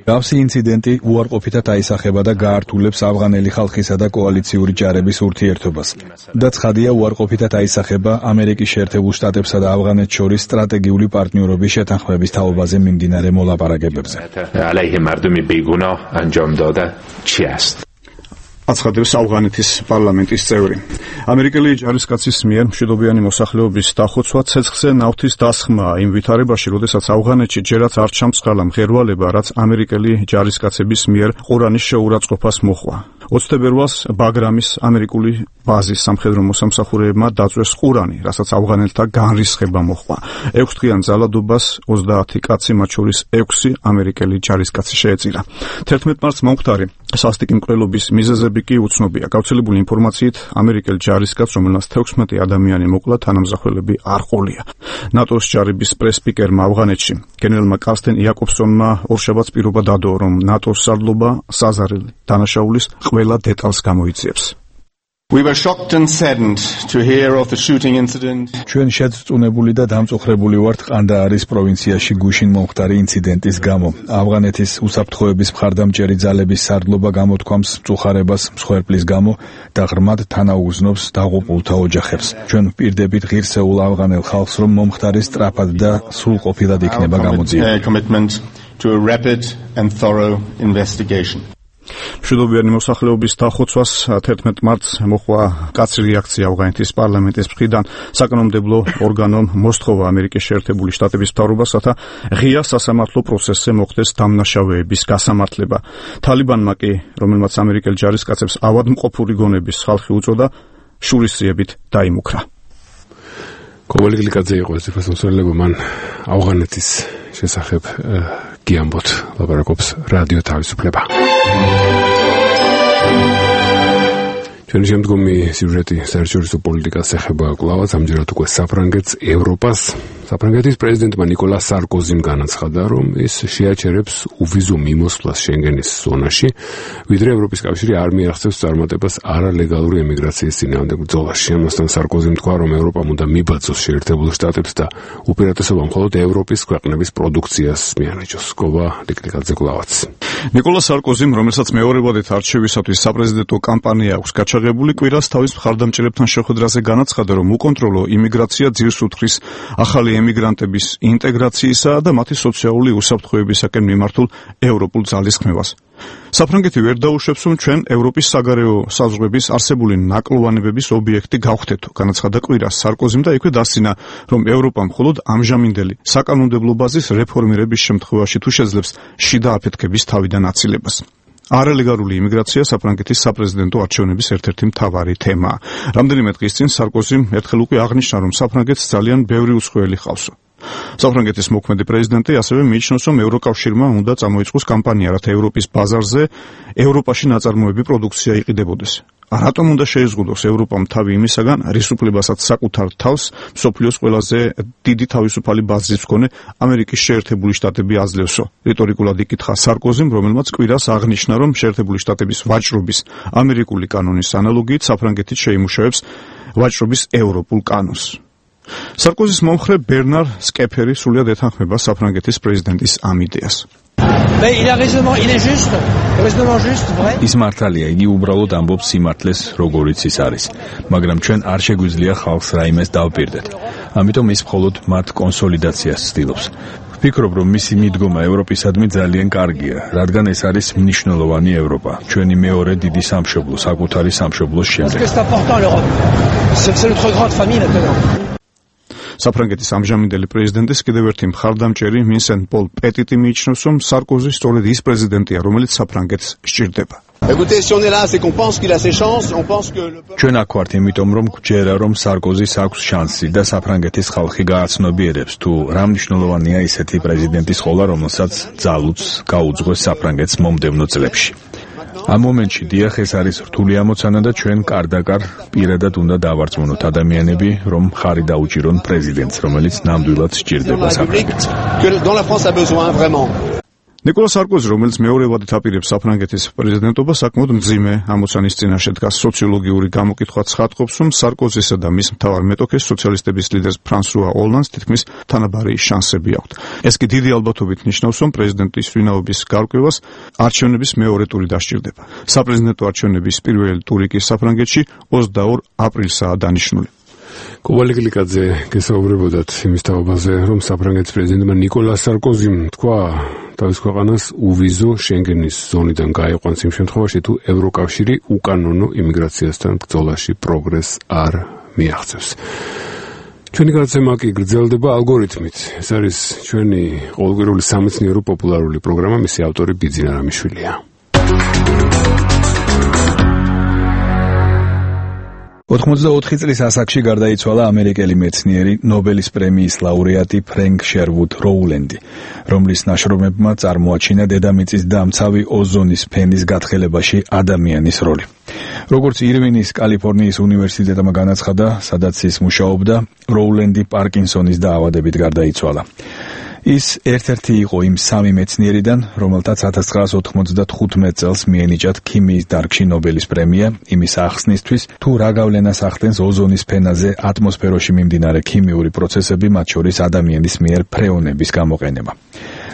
გავსი ინციდენტი უარყოფითად აისახება და გაართულებს ავღანელი ხალხისა და კოალიციური ჯარების ურთიერთობას. და ცხადია, უარყოფითად აისახება ამერიკის შეერთებულ შტატებსა და ავღანეთს შორის სტრატეგიული პარტნიორობის შეთანხმების თაობაზე მიმდინარე მოლაპარაკებებზე. აცხადებს ავღანეთის პარლამენტის წევრი. ამერიკელი ჯარისკაცის მიერ მშვიდობიანი მოსახლეობის დახოცვა ცეცხლზე ნავთის დასხმაა იმ ვითარებაში, როდესაც ავღანეთში ჯერაც არ ჩამწყალა მღერვალება, რაც ამერიკელი ჯარისკაცების მიერ ყურანის შეურაცხყოფას მოჰყვა. ოცი თებერვალს ბაგრამის ამერიკული ბაზის სამხედრო მოსამსახურეებმა დაწვეს ყურანი, რასაც ავღანელთა განრისხება მოჰყვა. ექვსდღიან ძალადობას ოცდაათი კაცი, მათ შორის ექვსი ამერიკელი ჯარისკაცი შეეწირა. თერთმეტ მარტს მომხდარი სასტიკი მკვლელობის მიზეზები კი უცნობია. გავრცელებული ინფორმაციით, ამერიკელ ჯარისკაცს, რომელმაც თექვსმეტი ადამიანი მოკლა, თანამზახველები არ ყოლია. ნატოს ჯარების პრესპიკერმა ავღანეთში, გენერალმა კარსტენ იაკობსონმა ორშაბათს პირობა დადო, რომ ნატოს სარდლობა საზარელი დანაშაულის ყველა დეტალს გამოიძიებს. We were shocked and saddened to hear of the shooting incident. ჩვენ შეწუნებული და დამწუხრებული ვართ ყანდაარის პროვინციაში გუშინ მომხდარი ინციდენტის გამო. ავღანეთის უსაფრთხოების მხარდამჭერი ძალების სარდლობა გამოთქვამს მწუხარებას მსხვერპლის გამო და ღრმად თანაუგრძნობს დაღუპულთა ოჯახებს. ჩვენ ვპირდებით ღირსეულ ავღანელ ხალხს, რომ მომხდარი სწრაფად და სრულყოფილად იქნება გამოძიებული. Commitment to a rapid and thorough investigation. მშვიდობიანი მოსახლეობის დახოცვას თერთმეტ მარტს მოხდა კაცრი რეაქცია ავღანეთის პარლამენტის მხრიდან. საკანონმდებლო ორგანომ მოსთხოვა ამერიკის შეერთებული შტატების მთავრობას, რათა ღია სასამართლო პროცესზე მოხდეს დამნაშავეების გასამართლება. თალიბანმა კი, რომელმაც ამერიკელ ჯარისკაცებს ავადმყოფური გონების ხალხი უწოდა, შურისძიებით დაიმუქრა. კობალი გლიკაძე იყო ეს ფასმოსალება, მან ავღანეთის შესახებ გიამბოთ ლაპარაკობს რადიო თავისუფლება. ჩვენი შემდგომი სიუჟეტი საერთაშორისო პოლიტიკას ეხება კვლავაც, ამჯერად უკვე საფრანგეთს, ევროპას. საფრანგეთის პრეზიდენტმა ნიკოლა სარკოზიმ განაცხადა, რომ ის შეაჩერებს უვიზო მიმოსვლას შენგენის ზონაში, ვიდრე ევროპის კავშირი არ მიაღწევს წარმატებას არალეგალური ემიგრაციის წინააღმდეგ ბრძოლაში. ამასთან სარკოზიმ თქვა, რომ ევროპამ უნდა მიბაძოს შეერთებულ შტატებს და უპირატესობა მხოლოდ ევროპის ქვეყნების პროდუქციას მიანაჭოს. გობა ლიკლიკაძე კვლავაც. ნიკოლა სარკოზიმ, რომელსაც მეორევადით არჩევისათვის საპრეზიდენტო კამპანია აქვს გაჩაღებული, კვირას თავის მხარდამჭერებთან შეხვედრაზე განაცხადა, რომ უკონტროლო იმიგრაცია ძირს უთხრის ახალი ემიგრანტების ინტეგრაციისა და მათი სოციალური უსაფრთხოებისაკენ მიმართულ ევროპულ ძალისხმევას. საფრანგეთი ვერ დაუშვებს, რომ ჩვენ ევროპის საგარეო საზღვრების არსებული ნაკლოვანებების ობიექტი გავხდეთ, განაცხადა კვირას სარკოზიმ და იქვე დასცინა, რომ ევროპა მხოლოდ ამჟამინდელი საკანონმდებლო ბაზის რეფორმირების შემთხვევაში თუ შეძლებს შიდა აფეთქების თავიდან აცილებას. არალეგალური იმიგრაცია საფრანგეთის საპრეზიდენტო არჩევნების ერთ-ერთი მთავარი თემაა. რამდენიმე დღის წინ სარკოზიმ ერთხელ უკვე აღნიშნა, რომ საფრანგეთს ძალიან ბევრი უცხოელი ჰყავსო. საფრანგეთის მოქმედი პრეზიდენტი ასევე მიიჩნევს, რომ ევროკავშირმა უნდა წამოიწყოს კამპანია, რათა ევროპის ბაზარზე ევროპაში ნაწარმოები პროდუქცია იყიდებოდეს. რატომ უნდა შეიზღუდოს ევროპამ თავი იმისაგან, რის უფლებასაც საკუთარ თავს მსოფლიოს ყველაზე დიდი თავისუფალი ბაზრის მქონე ამერიკის შეერთებული შტატები აძლევსო? რიტორიკულად იკითხა სარკოზიმ, რომელმაც კვირას აღნიშნა, რომ შეერთებული შტატების ვაჭრობის ამერიკული კანონის ანალოგიით საფრანგეთი შეიმუშავებს ვაჭრობის ევროპულ კანონს. სარკოზის მომხრე ბერნარ სკეფერი სრულიად ეთანხმება საფრანგეთის პრეზიდენტის ამ იდეას. ის მართალია, იგი უბრალოდ ამბობს სიმართლეს, როგორიც ის არის, მაგრამ ჩვენ არ შეგვიძლია ხალხს რაიმეს დავპირდეთ. ამიტომ ის მხოლოდ მათ კონსოლიდაციას ცდილობს. ვფიქრობ, რომ მისი მიდგომა ევროპისადმი ძალიან კარგია, რადგან ეს არის მნიშვნელოვანი ევროპა, ჩვენი მეორე დიდი სამშობლო, საკუთარი სამშობლოს შემდეგ. საფრანგეთის ამჟამინდელი პრეზიდენტის კიდევ ერთი მხარდამჭერი ვინსენტ პოლ პეტიტი მიიჩნევს, რომ სარკოზი სწორედ ის პრეზიდენტია, რომელიც საფრანგეთს სჭირდება. ჩვენ აქ ვართ იმიტომ, რომ გვჯერა, რომ სარკოზის აქვს შანსი და საფრანგეთის ხალხი გააცნობიერებს, თუ რა მნიშვნელოვანია ისეთი პრეზიდენტის ყოლა, რომელსაც ძალუც გაუძღვეს საფრანგეთს მომდევნო წლებში. ამ მომენტში დიახ, ეს არის რთული ამოცანა და ჩვენ კარდაკარ პირადად უნდა დავარწმუნოთ ადამიანები, რომ ხარი დაუჭირონ პრეზიდენტს, რომელიც ნამდვილად სჭირდება საფრანგეთს. ნიკოლა სარკოზი, რომელიც მეორევადით აპირებს საფრანგეთის პრეზიდენტობას, საკმაოდ მძიმე ამოცანის წინაშე დგას. სოციოლოგიური გამოკითხვა ცხადყოფს, რომ სარკოზისა და მის მთავარ მეტოქეს სოციალისტების ლიდერს ფრანსუა ოლანდს თითქმის თანაბარი შანსები აქვთ. ეს კი დიდი ალბათობით ნიშნავს, რომ პრეზიდენტის ვინაობის გარკვევას არჩევნების მეორე ტური დასჭირდება. საპრეზიდენტო არჩევნების პირველი ტური კი საფრანგეთში ოცდაორ აპრილსაა დანიშნული. კობალი გლიკაძე გესაუბრებოდათ იმის თაობაზე, რომ საფრანგეთის პრეზიდენტმა ნიკოლა სარკოზიმ თქვა თავის ქვეყანას უვიზო შენგენის ზონიდან გაიყვანს იმ შემთხვევაში, თუ ევროკავშირი უკანონო იმიგრაციასთან ბრძოლაში პროგრესს არ მიაღწევს. ჩვენი გადაცემა კი გრძელდება ალგორითმით. ეს არის ჩვენი ყოველკვირეული სამეცნიერო პოპულარული პროგრამა, მისი ავტორი ბიძინა რამიშვილია. ოთხმოცდაოთხი წლის ასაკში გარდაიცვალა ამერიკელი მეცნიერი ნობელის პრემიის ლაურეატი ფრენკ შერვუდ როულენდი, რომლის ნაშრომებმა წარმოაჩინა დედამიწის დამცავი ოზონის ფენის გათხელებაში ადამიანის როლი. როგორც ირვინის კალიფორნიის უნივერსიტეტმა განაცხადა, სადაც ის მუშაობდა, როულენდი პარკინსონის დაავადებით გარდაიცვალა. ის ერთ-ერთი იყო იმ სამი მეცნიერიდან, რომელთაც ათას ცხრაასი ოთხმოცდათხუთმეტ წელს მიენიჭათ ქიმიის დარგში ნობელის პრემია, იმის ახსნისთვის, თუ რა გავლენას ახდენს ოზონის ფენაზე ატმოსფეროში მიმდინარე ქიმიური პროცესები, მათ შორის ადამიანის მიერ ფრეონების გამოყენება.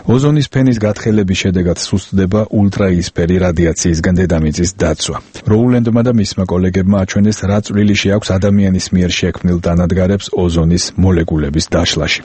ოზონის ფენის გათხელების შედეგად სუსტდება ულტრაიისფერი რადიაციისგან დედამიწის დაცვა. როულენდმა და მისმა კოლეგებმა აჩვენეს, რა წვლილი შეაქვს ადამიანის მიერ შექმნილ დანადგარებს ოზონის მოლეკულების დაშლაში.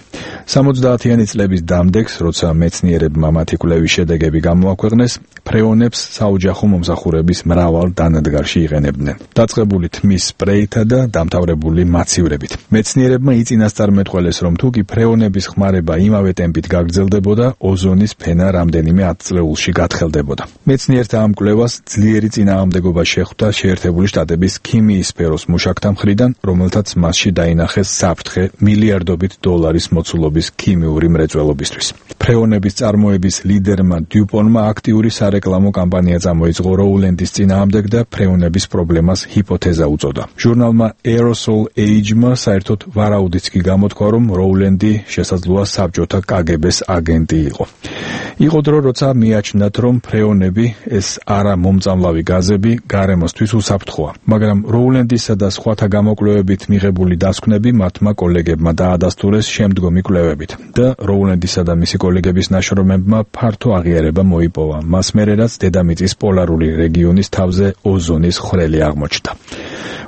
სამოცდაათიანი წლების დამდეგს, როცა მეცნიერებმა მათი კვლევის შედეგები გამოაქვეყნეს, ფრეონებს საოჯახო მომსახურების მრავალ დანადგარში იყენებდნენ, დაწყებული თმის სპრეითა და დამთავრებული მაცივრებით. მეცნიერებმა იწინასწარმეტყველეს, რომ თუკი ფრეონების ხმარება იმავე ტემპით გაგრძელდებოდა, ოზონის ფენა რამდენიმე ათწლეულში გათხელდებოდა. მეცნიერთა ამ კვლევას ძლიერი წინააღმდეგობა შეხვდა შეერთებული შტატების ქიმიის სფეროს მუშაკთა მხრიდან, რომელთაც მასში დაინახეს საფრთხე მილიარდობით დოლარის მოცულობის ქიმიური მრეწველობისთვის. ფრეონების წარმოების ლიდერმა დიუპონმა აქტიური სარეკლამო კამპანია წამოიწყო როულენდის წინააღმდეგ და ფრეონების პრობლემას ჰიპოთეზა უწოდა. ჟურნალმა Aerosol Age-მა საერთოდ ვარაუდიც კი გამოთქვა, რომ როულენდი შესაძლოა საბჭოთა კგბ-ს აგენტი იყო. იყო დრო, როცა მიაჩნდათ, რომ ფრეონები, ეს არა მომწამლავი გაზები, გარემოსთვის უსაფრთხოა, მაგრამ როულენდისა და სხვათა გამოკვლევებით მიღებული დასკვნები მათმა კოლეგებმა დაადასტურეს შემდგომი კვლევებით და როულენდისა და მისი კოლეგების ნაშრომებმა ფართო აღიარება მოიპოვა, მას მერე რაც დედამიწის პოლარული რეგიონის თავზე ოზონის ხვრელი აღმოჩნდა.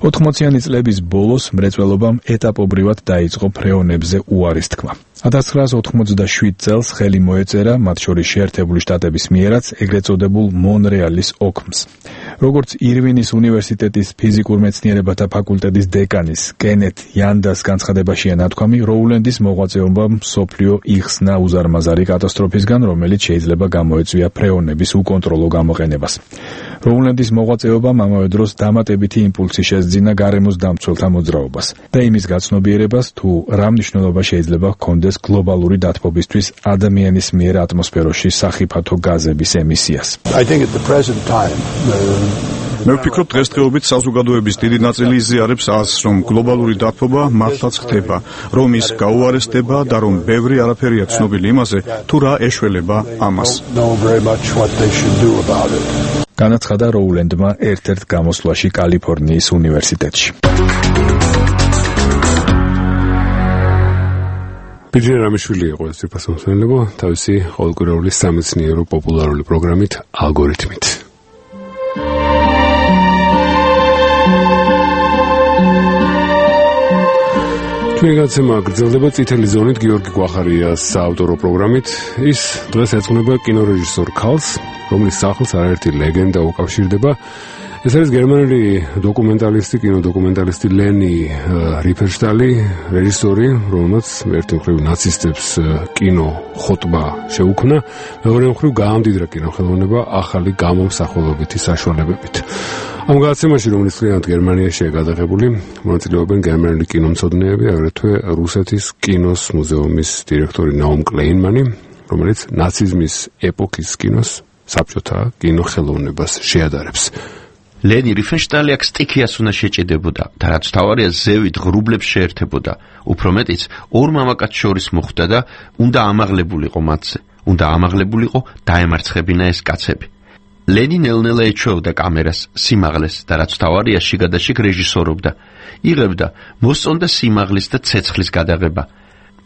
ოთხმოციანი წლების ბოლოს მრეწველობამ ეტაპობრივად დაიწყო ფრეონებზე უარის თქმა. ათას ცხრაასი ოთხმოცდაშვიდ წელს ხელი მოეწერა, მათ შორის შეერთებული შტატების მიერაც, ეგრეთ წოდებულ მონრეალის ოქმს. როგორც ირვინის უნივერსიტეტის ფიზიკურ მეცნიერებათა ფაკულტეტის დეკანის კენეთ იანდას განცხადებაშია ნათქვამი, როულენდის მოღვაწეობამ მსოფლიო იხსნა უზარმაზარი კატასტროფისგან, რომელიც შეიძლება გამოეწვია ფრეონების უკონტროლო გამოყენებას. როულენდის მოღვაწეობამ ამავე დროს დამატებითი იმპულსი შესძინა გარემოს დამცველთა მოძრაობას და იმის გაცნობიერებას, თუ რა მნიშვნელობა შეიძლება ჰქონდეს გლობალური დათბობისთვის ადამიანის მიერ ატმოსფეროში სახიფათო გაზების ემისიას. მე ვფიქრობ, დღესდღეობით საზოგადოების დიდი ნაწილი იზიარებს აზრს, რომ გლობალური დათბობა მართლაც ხდება, რომ ის გაუარესდება და რომ ბევრი არაფერია ცნობილი იმაზე, თუ რა ეშველება ამას. განაცხადა როულენდმა ერთ-ერთ გამოსვლაში კალიფორნიის უნივერსიტეტში. ბიჯენ რამიშვილი იყო ეს ფასმოსმენლებო, თავისი ყოველკვირეული სამეცნიერო პოპულარული პროგრამით ალგორითმით. ჩვენი გაცემა გრძელდება წითელი ზონით გიორგი გვახარიას საავტორო პროგრამით. ის დღეს ეძღვნება კინორეჟისორ ქალს, რომლის სახლს არაერთი ლეგენდა უკავშირდება. ეს არის გერმანელი დოკუმენტალისტი, კინოდოკუმენტალისტი ლენი რიფენშტალი, რეჟისორი, რომელმაც ერთი მხრივ ნაცისტებს კინო ხოტბა შეუქმნა, მეორე მხრივ გაამდიდრა კინოხელოვნება ახალი გამომსახველობითი საშუალებებით. ამ გადაცემაში, რომლის წლიანად გერმანიაშია გადაღებული, მონაწილეობენ გერმანელი კინომცოდნეები, აგრეთვე რუსეთის კინოს მუზეუმის დირექტორი ნაუმ კლეინმანი, რომელიც ნაციზმის ეპოქის კინოს საბჭოთა კინოხელოვნებას შეადარებს. ლენი რიფენშტალი აქ სტიქიას უნდა შეჭედებოდა და რაც თავარია ზევით ღრუბლებს შეერთებოდა. უფრო მეტიც ორ მამაკაც შორის მოხვდა და უნდა ამაღლებულიყო მათზე, უნდა ამაღლებულიყო დაემარცხებინა ეს კაცები. ლენი ნელ-ნელა ეჩვეოდა კამერას, სიმაღლეს და რაც თავარია შიგადაშიგ რეჟისორობდა. იღებდა მოსწონდა სიმაღლის და ცეცხლის გადაღება.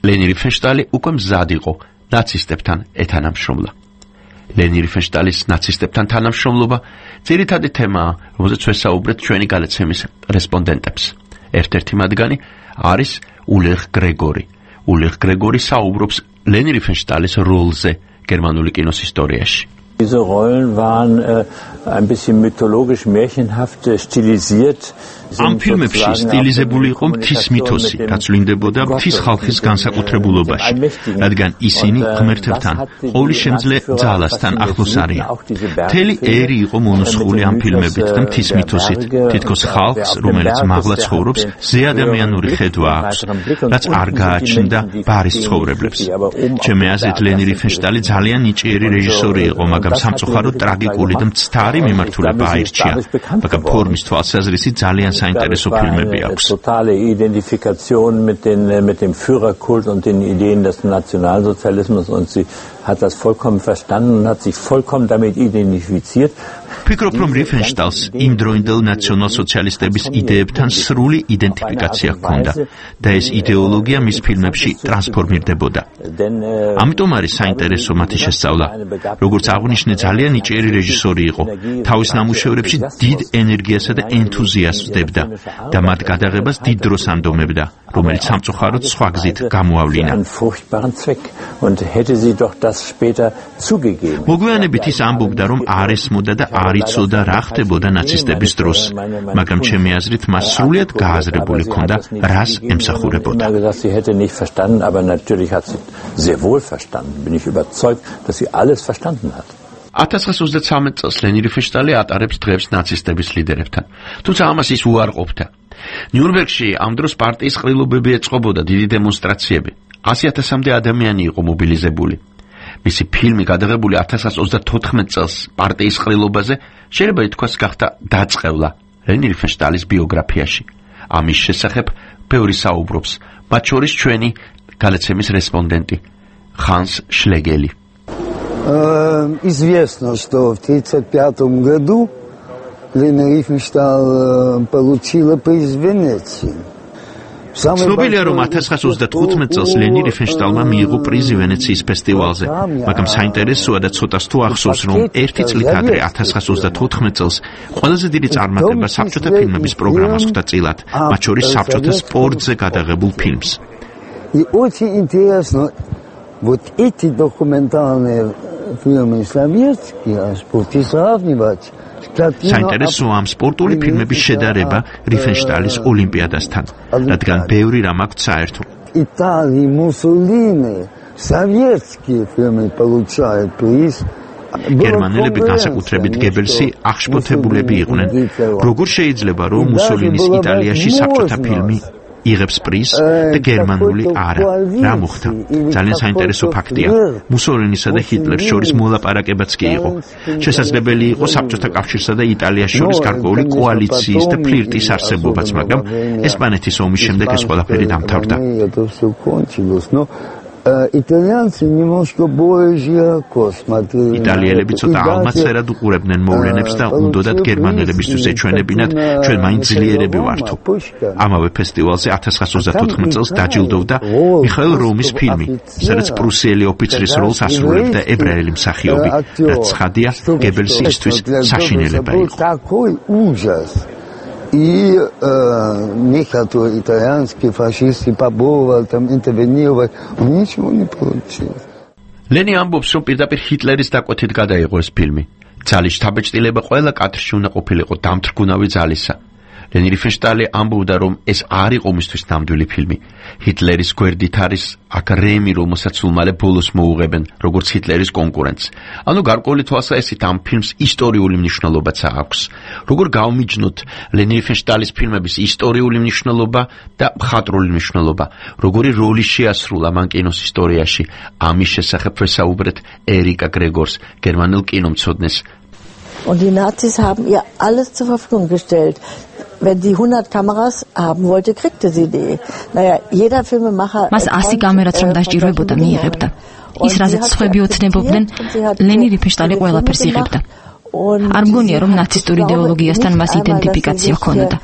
ლენი რიფენშტალი უკვე მზად იყო ნაცისტებთან ეთანამშრომლა. ლენი რიფენშტალის ნაცისტებთან თანამშრომლობა ძირითადი თემაა, რომელზეც ვესაუბრეთ ჩვენი გადაცემის რესპონდენტებს. ერთ-ერთი მათგანი არის ულრიხ გრეგორი. ულრიხ გრეგორი საუბრობს ლენი რიფენშტალის როლზე გერმანული კინოს ისტორიაში. Diese Rollen waren äh, ein bisschen mythologisch märchenhaft stilisiert. ამ ფილმებში სტილიზებული იყო მთის მითოსი, რაც ვლინდებოდა მთის ხალხის განსაკუთრებულობაში, რადგან ისინი ღმერთებთან, ყოვლისშემძლე ძალასთან ახლოს არიან. მთელი ერი იყო მონუსხული ამ ფილმებით და მთის მითოსით, თითქოს ხალხს, რომელიც მაღლა ცხოვრობს, ზეადამიანური ხედვა აქვს, რაც არ გააჩნდა ბარის ცხოვრებლებს. ჩემი აზრით, ლენი რიფენშტალი ძალიან ნიჭიერი რეჟისორი იყო, მაგრამ სამწუხაროდ ტრაგიკული და მცდარი მიმართულება აირჩია, მაგრამ ფორმის თვალსაზრისით ძალიან საინტერესო ფილმები აქვს. Totale Identifikation mit den mit dem Führerkult und den Ideen des Nationalsozialismus und sie hat das vollkommen verstanden und hat sich vollkommen damit identifiziert. ფიქრობ, რომ რიფენშტალს იმ დროინდელ ნაციონალ-სოციალისტების იდეებთან სრული იდენტიფიკაცია ჰქონდა და ეს იდეოლოგია მის ფილმებში ტრანსფორმირდებოდა. ამიტომ არის საინტერესო მათი შესწავლა. როგორც აღნიშნე, ძალიან ნიჭიერი რეჟისორი იყო. თავის ნამუშევრებში დიდ ენერგიასა და ენთუზიაზმს დებდა და მათ გადაღებას დიდ დროს ანდომებდა, რომელიც სამწუხაროდ სხვა გზით გამოავლინა. მოგვიანებით ის ამბობდა, რომ არ ესმოდა და არ იცოდა რა ხდებოდა ნაცისტების დროს, მაგრამ ჩემი აზრით მას სრულიად გააზრებული ჰქონდა, რას ემსახურებოდა. ათას ცხრაასი ოცდათვრამეტ წელს ლენი რიფენშტალი ატარებს დღეს ნაცისტების ლიდერებთან, თუმცა ამას ის უარყოფდა. ნიურნბერგში ამ დროს პარტიის ყრილობები ეწყობოდა დიდი დემონსტრაციები. ასი ათასამდე ადამიანი იყო მობილიზებული. მისი ფილმი გადაღებული ათას ცხრაასი ოცდათოთხმეტ წელს პარტიის ყრილობაზე შეიძლება ითქვას გახდა დაწყევლა ლენი რიფენშტალის ბიოგრაფიაში. ამის შესახებ ბევრი საუბრობს, მათ შორის ჩვენი გადაცემის რესპონდენტი ხანს შლეგელი. Известно, что в тридцать пятом году Лена Рифеншталь получила приз Венеции. ცნობილია, რომ ათას ცხრაასი ოცდათხუთმეტ წელს ლენი რიფენშტალმა მიიღო პრიზი ვენეციის ფესტივალზე, მაგრამ საინტერესოა და ცოტას თუ ახსოვს, რომ ერთი წლით ადრე ათას ცხრაასი ოცდათოთხმეტ წელს ყველაზე დიდი წარმატება საბჭოთა фильмების პროგრამას ხვდა წილად, მათ შორის საბჭოთა სპორტზე გადაღებულ ფილმს. И очень интересно, вот эти документальные фильмы советские, о спорте сравнивать. საინტერესოა ამ სპორტული ფილმების შედარება რიფენშტალის ოლიმპიადასთან, რადგან ბევრი რამ აქვს საერთო. Италия, Муссолини, советские фильмы получают приз. გერმანელები განსაკუთრებით გებელსი აღშფოთებულები იყვნენ. როგორ შეიძლება, რომ მუსოლინის იტალიაში საბჭოთა ფილმი იღებს პრიზს და გერმანული არა? რა მოხდა? ძალიან საინტერესო ფაქტია. მუსოლინისა და ჰიტლერს შორის მოლაპარაკებაც კი იყო. შესაძლებელი იყო საბჭოთა კავშირსა და იტალიას შორის გარკვეული კოალიციის და ფლირტის არსებობაც, მაგრამ ესპანეთის ომის შემდეგ ეს ყველაფერი დამთავრდა. Итальянцы немножко более широко смотрели. იტალიელები ცოტა ალმაცერად უყურებდნენ მოვლენებს და უნდოდათ გერმანელებისთვის ეჩვენებინათ, ჩვენ მაინც ძლიერები ვართო. ამავე ფესტივალზე ათას ცხრაასი ოცდათოთხმეტ წელს დაჯილდოვდა მიხაილ რომის ფილმი, სადაც პრუსიელი ოფიცრის როლს ასრულებდა ებრაელი მსახიობი, რაც ცხადია გებელსისთვის საშინელება იყო. И э, некоторые итальянские фашисты попробовали там интервенировать, но ничего не получилось. ლენი ამბობს, რომ პირდაპირ ჰიტლერის დაკვეთით გადაიღო ეს ფილმი. ძალის შთაბეჭდილება ყველა კადრში უნდა ყოფილიყო დამთრგუნავი ძალისა. ლენი რიფენშტალი ამბობდა, რომ ეს არ იყო მისთვის ნამდვილი ფილმი. ჰიტლერის გვერდით არის აქ რემი, რომელსაც სულ მალე ბოლოს მოუღებენ, როგორც ჰიტლერის კონკურენტს. ანუ გარკვეული თვალსაჩინო ამ ფილმს ისტორიული მნიშვნელობაც აქვს. როგორ გავმიჯნოთ ლენი რიფენშტალის ფილმების ისტორიული მნიშვნელობა და მხატვრული მნიშვნელობა, როგორი როლი შეასრულა მან კინოს ისტორიაში. ამის შესახებ ვესაუბრეთ ერიკა გრეგორს, გერმანელ კინომცოდნეს. Und die Nazis haben ihr alles zur Verfügung gestellt. Wenn die hundert Kameras haben wollte, kriegte sie die. Naja, jeder Filmemacher... მას ასი კამერაც რომ დასჭიროებოდა, მიიღებდა. ის რაზეც სხვები ოცნებობდნენ, ლენი რიფენშტალი ყველაფერს იღებდა. არ მგონია, რომ ნაცისტური იდეოლოგიასთან მას იდენტიფიკაცია ჰქონოდა.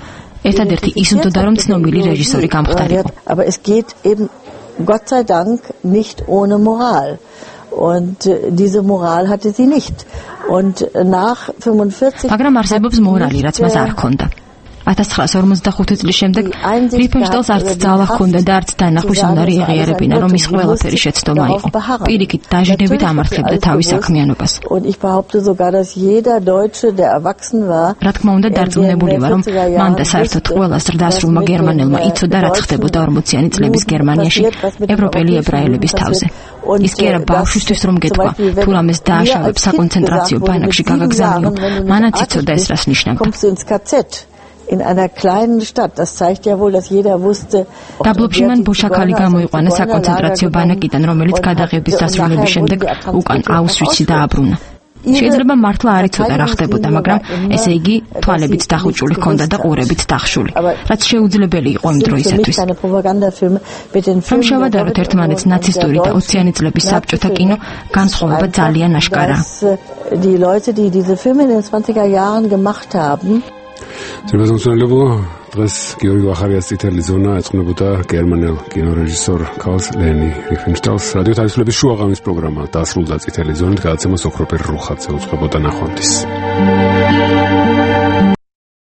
ერთადერთი ის უნდა რომ ცნობილი რეჟისორი გამხდარიყო. Aber es geht eben, Gott sei Dank, nicht ohne Moral. Und diese Moral hatte sie nicht. Und nach fünfundvierzig... მაგრამ არსებობს მორალი, რაც მას არ ჰქონდა. ათას ცხრაასი ორმოცდახუთი წლის შემდეგ რიფენშტაილს არც ძალა ჰქონდა და არც დანახვის უნარი ეღიარებინა, რომ ის ყველაფერი შეცდომა იყო. პირიქით დაჟინებით ამართლებდა თავის საქმიანობას. რა თქმა უნდა, დარწმუნებული ვარ, რომ მან და საერთოდ ყველა ზრდასრულმა გერმანელმა იცოდა, რაც ხდებოდა ორმოციანი წლების გერმანიაში ევროპელი ებრაელების თავზე. ის კი არა ბავშვისთვის რომ გეტყვა, თუ რამეს დააშავებს საკონცენტრაციო ბანაკში გაგაგზავნიო, მანაც იცოდა ეს რას ნიშნავდა. In einer kleinen Stadt, das zeigt ja wohl, dass jeder wusste. დაბლობში მან ბოშაქალი გამოიყვანა საკონცენტრაციო ბანაკიდან, რომელიც გადაღების დასრულების შემდეგ უკან აუშვიცში დააბრუნა. შეიძლება მართლა არ იცოდა რა ხდებოდა, მაგრამ ესე იგი თვალებით დახუჭული ჰქონდა და ყურებით დახშული, რაც შეუძლებელი იყო იმ დროისათვის. რომ შევადაროთ ერთმანეთს ნაცისტური და ოციანი წლების საბჭოთა კინო, განსხვავება ძალიან აშკარაა. Die Leute, die diese Filme in den zwanziger Jahren gemacht haben, Trebazonsonelobo დღეს გიორგი ვახარიას წითელი ზონა ეწყნებოდა გერმანელ კინორეჟისორ კარლ ლენი რიფენშტაილს. რადიო თავისუფლების შუაღამის პროგრამა დასრულდა წითელი ზონით, გადაცემას ოქროპერ რუხაძე უძღვებოდა ნახვამდის.